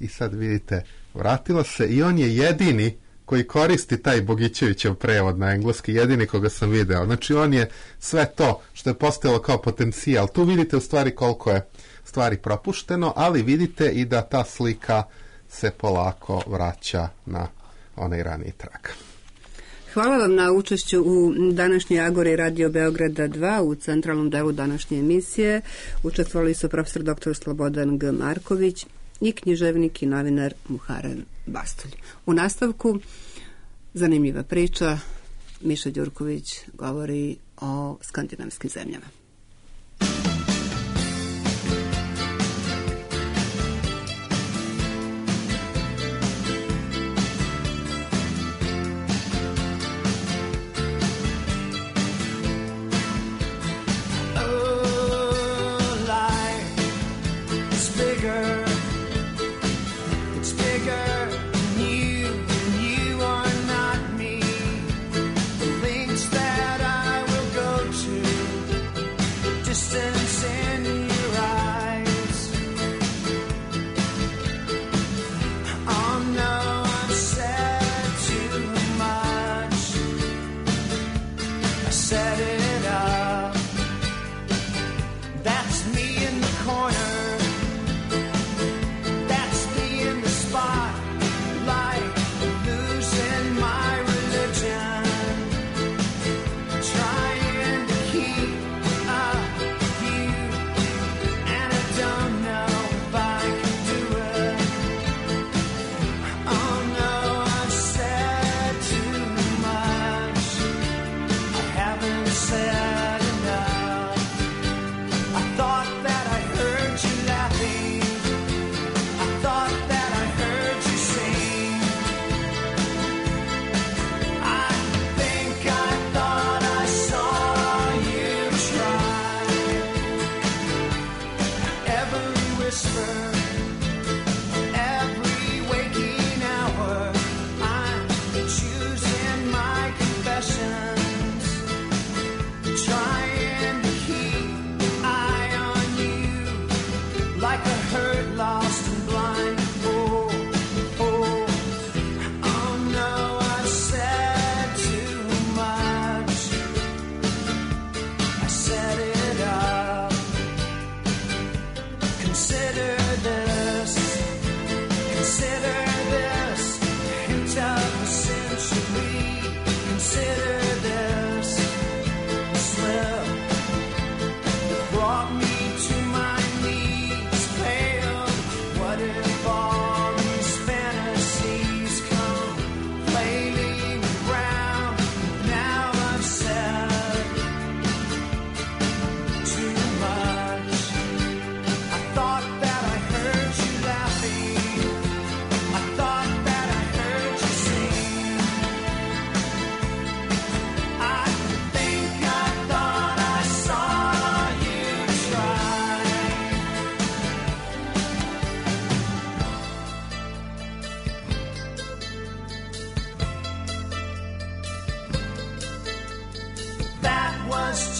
I sad vidite, vratilo se i on je jedini koji koristi taj Bogićevićev prevod na engleski, jedini koga sam video. Znači on je sve to što je postojalo kao potencijal. Tu vidite u stvari koliko je stvari propušteno, ali vidite i da ta slika se polako vraća na onaj raniji trak. Hvala vam na učešću u današnjoj Agori Radio Beograda dva u centralnom delu današnje emisije. Učestvovali su profesor doktor Slobodan G. Marković i književnik i novinar Muharrem Bastulj. U nastavku zanimljiva priča. Miša Đurković govori o skandinavskim zemljama.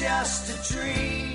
Just a dream.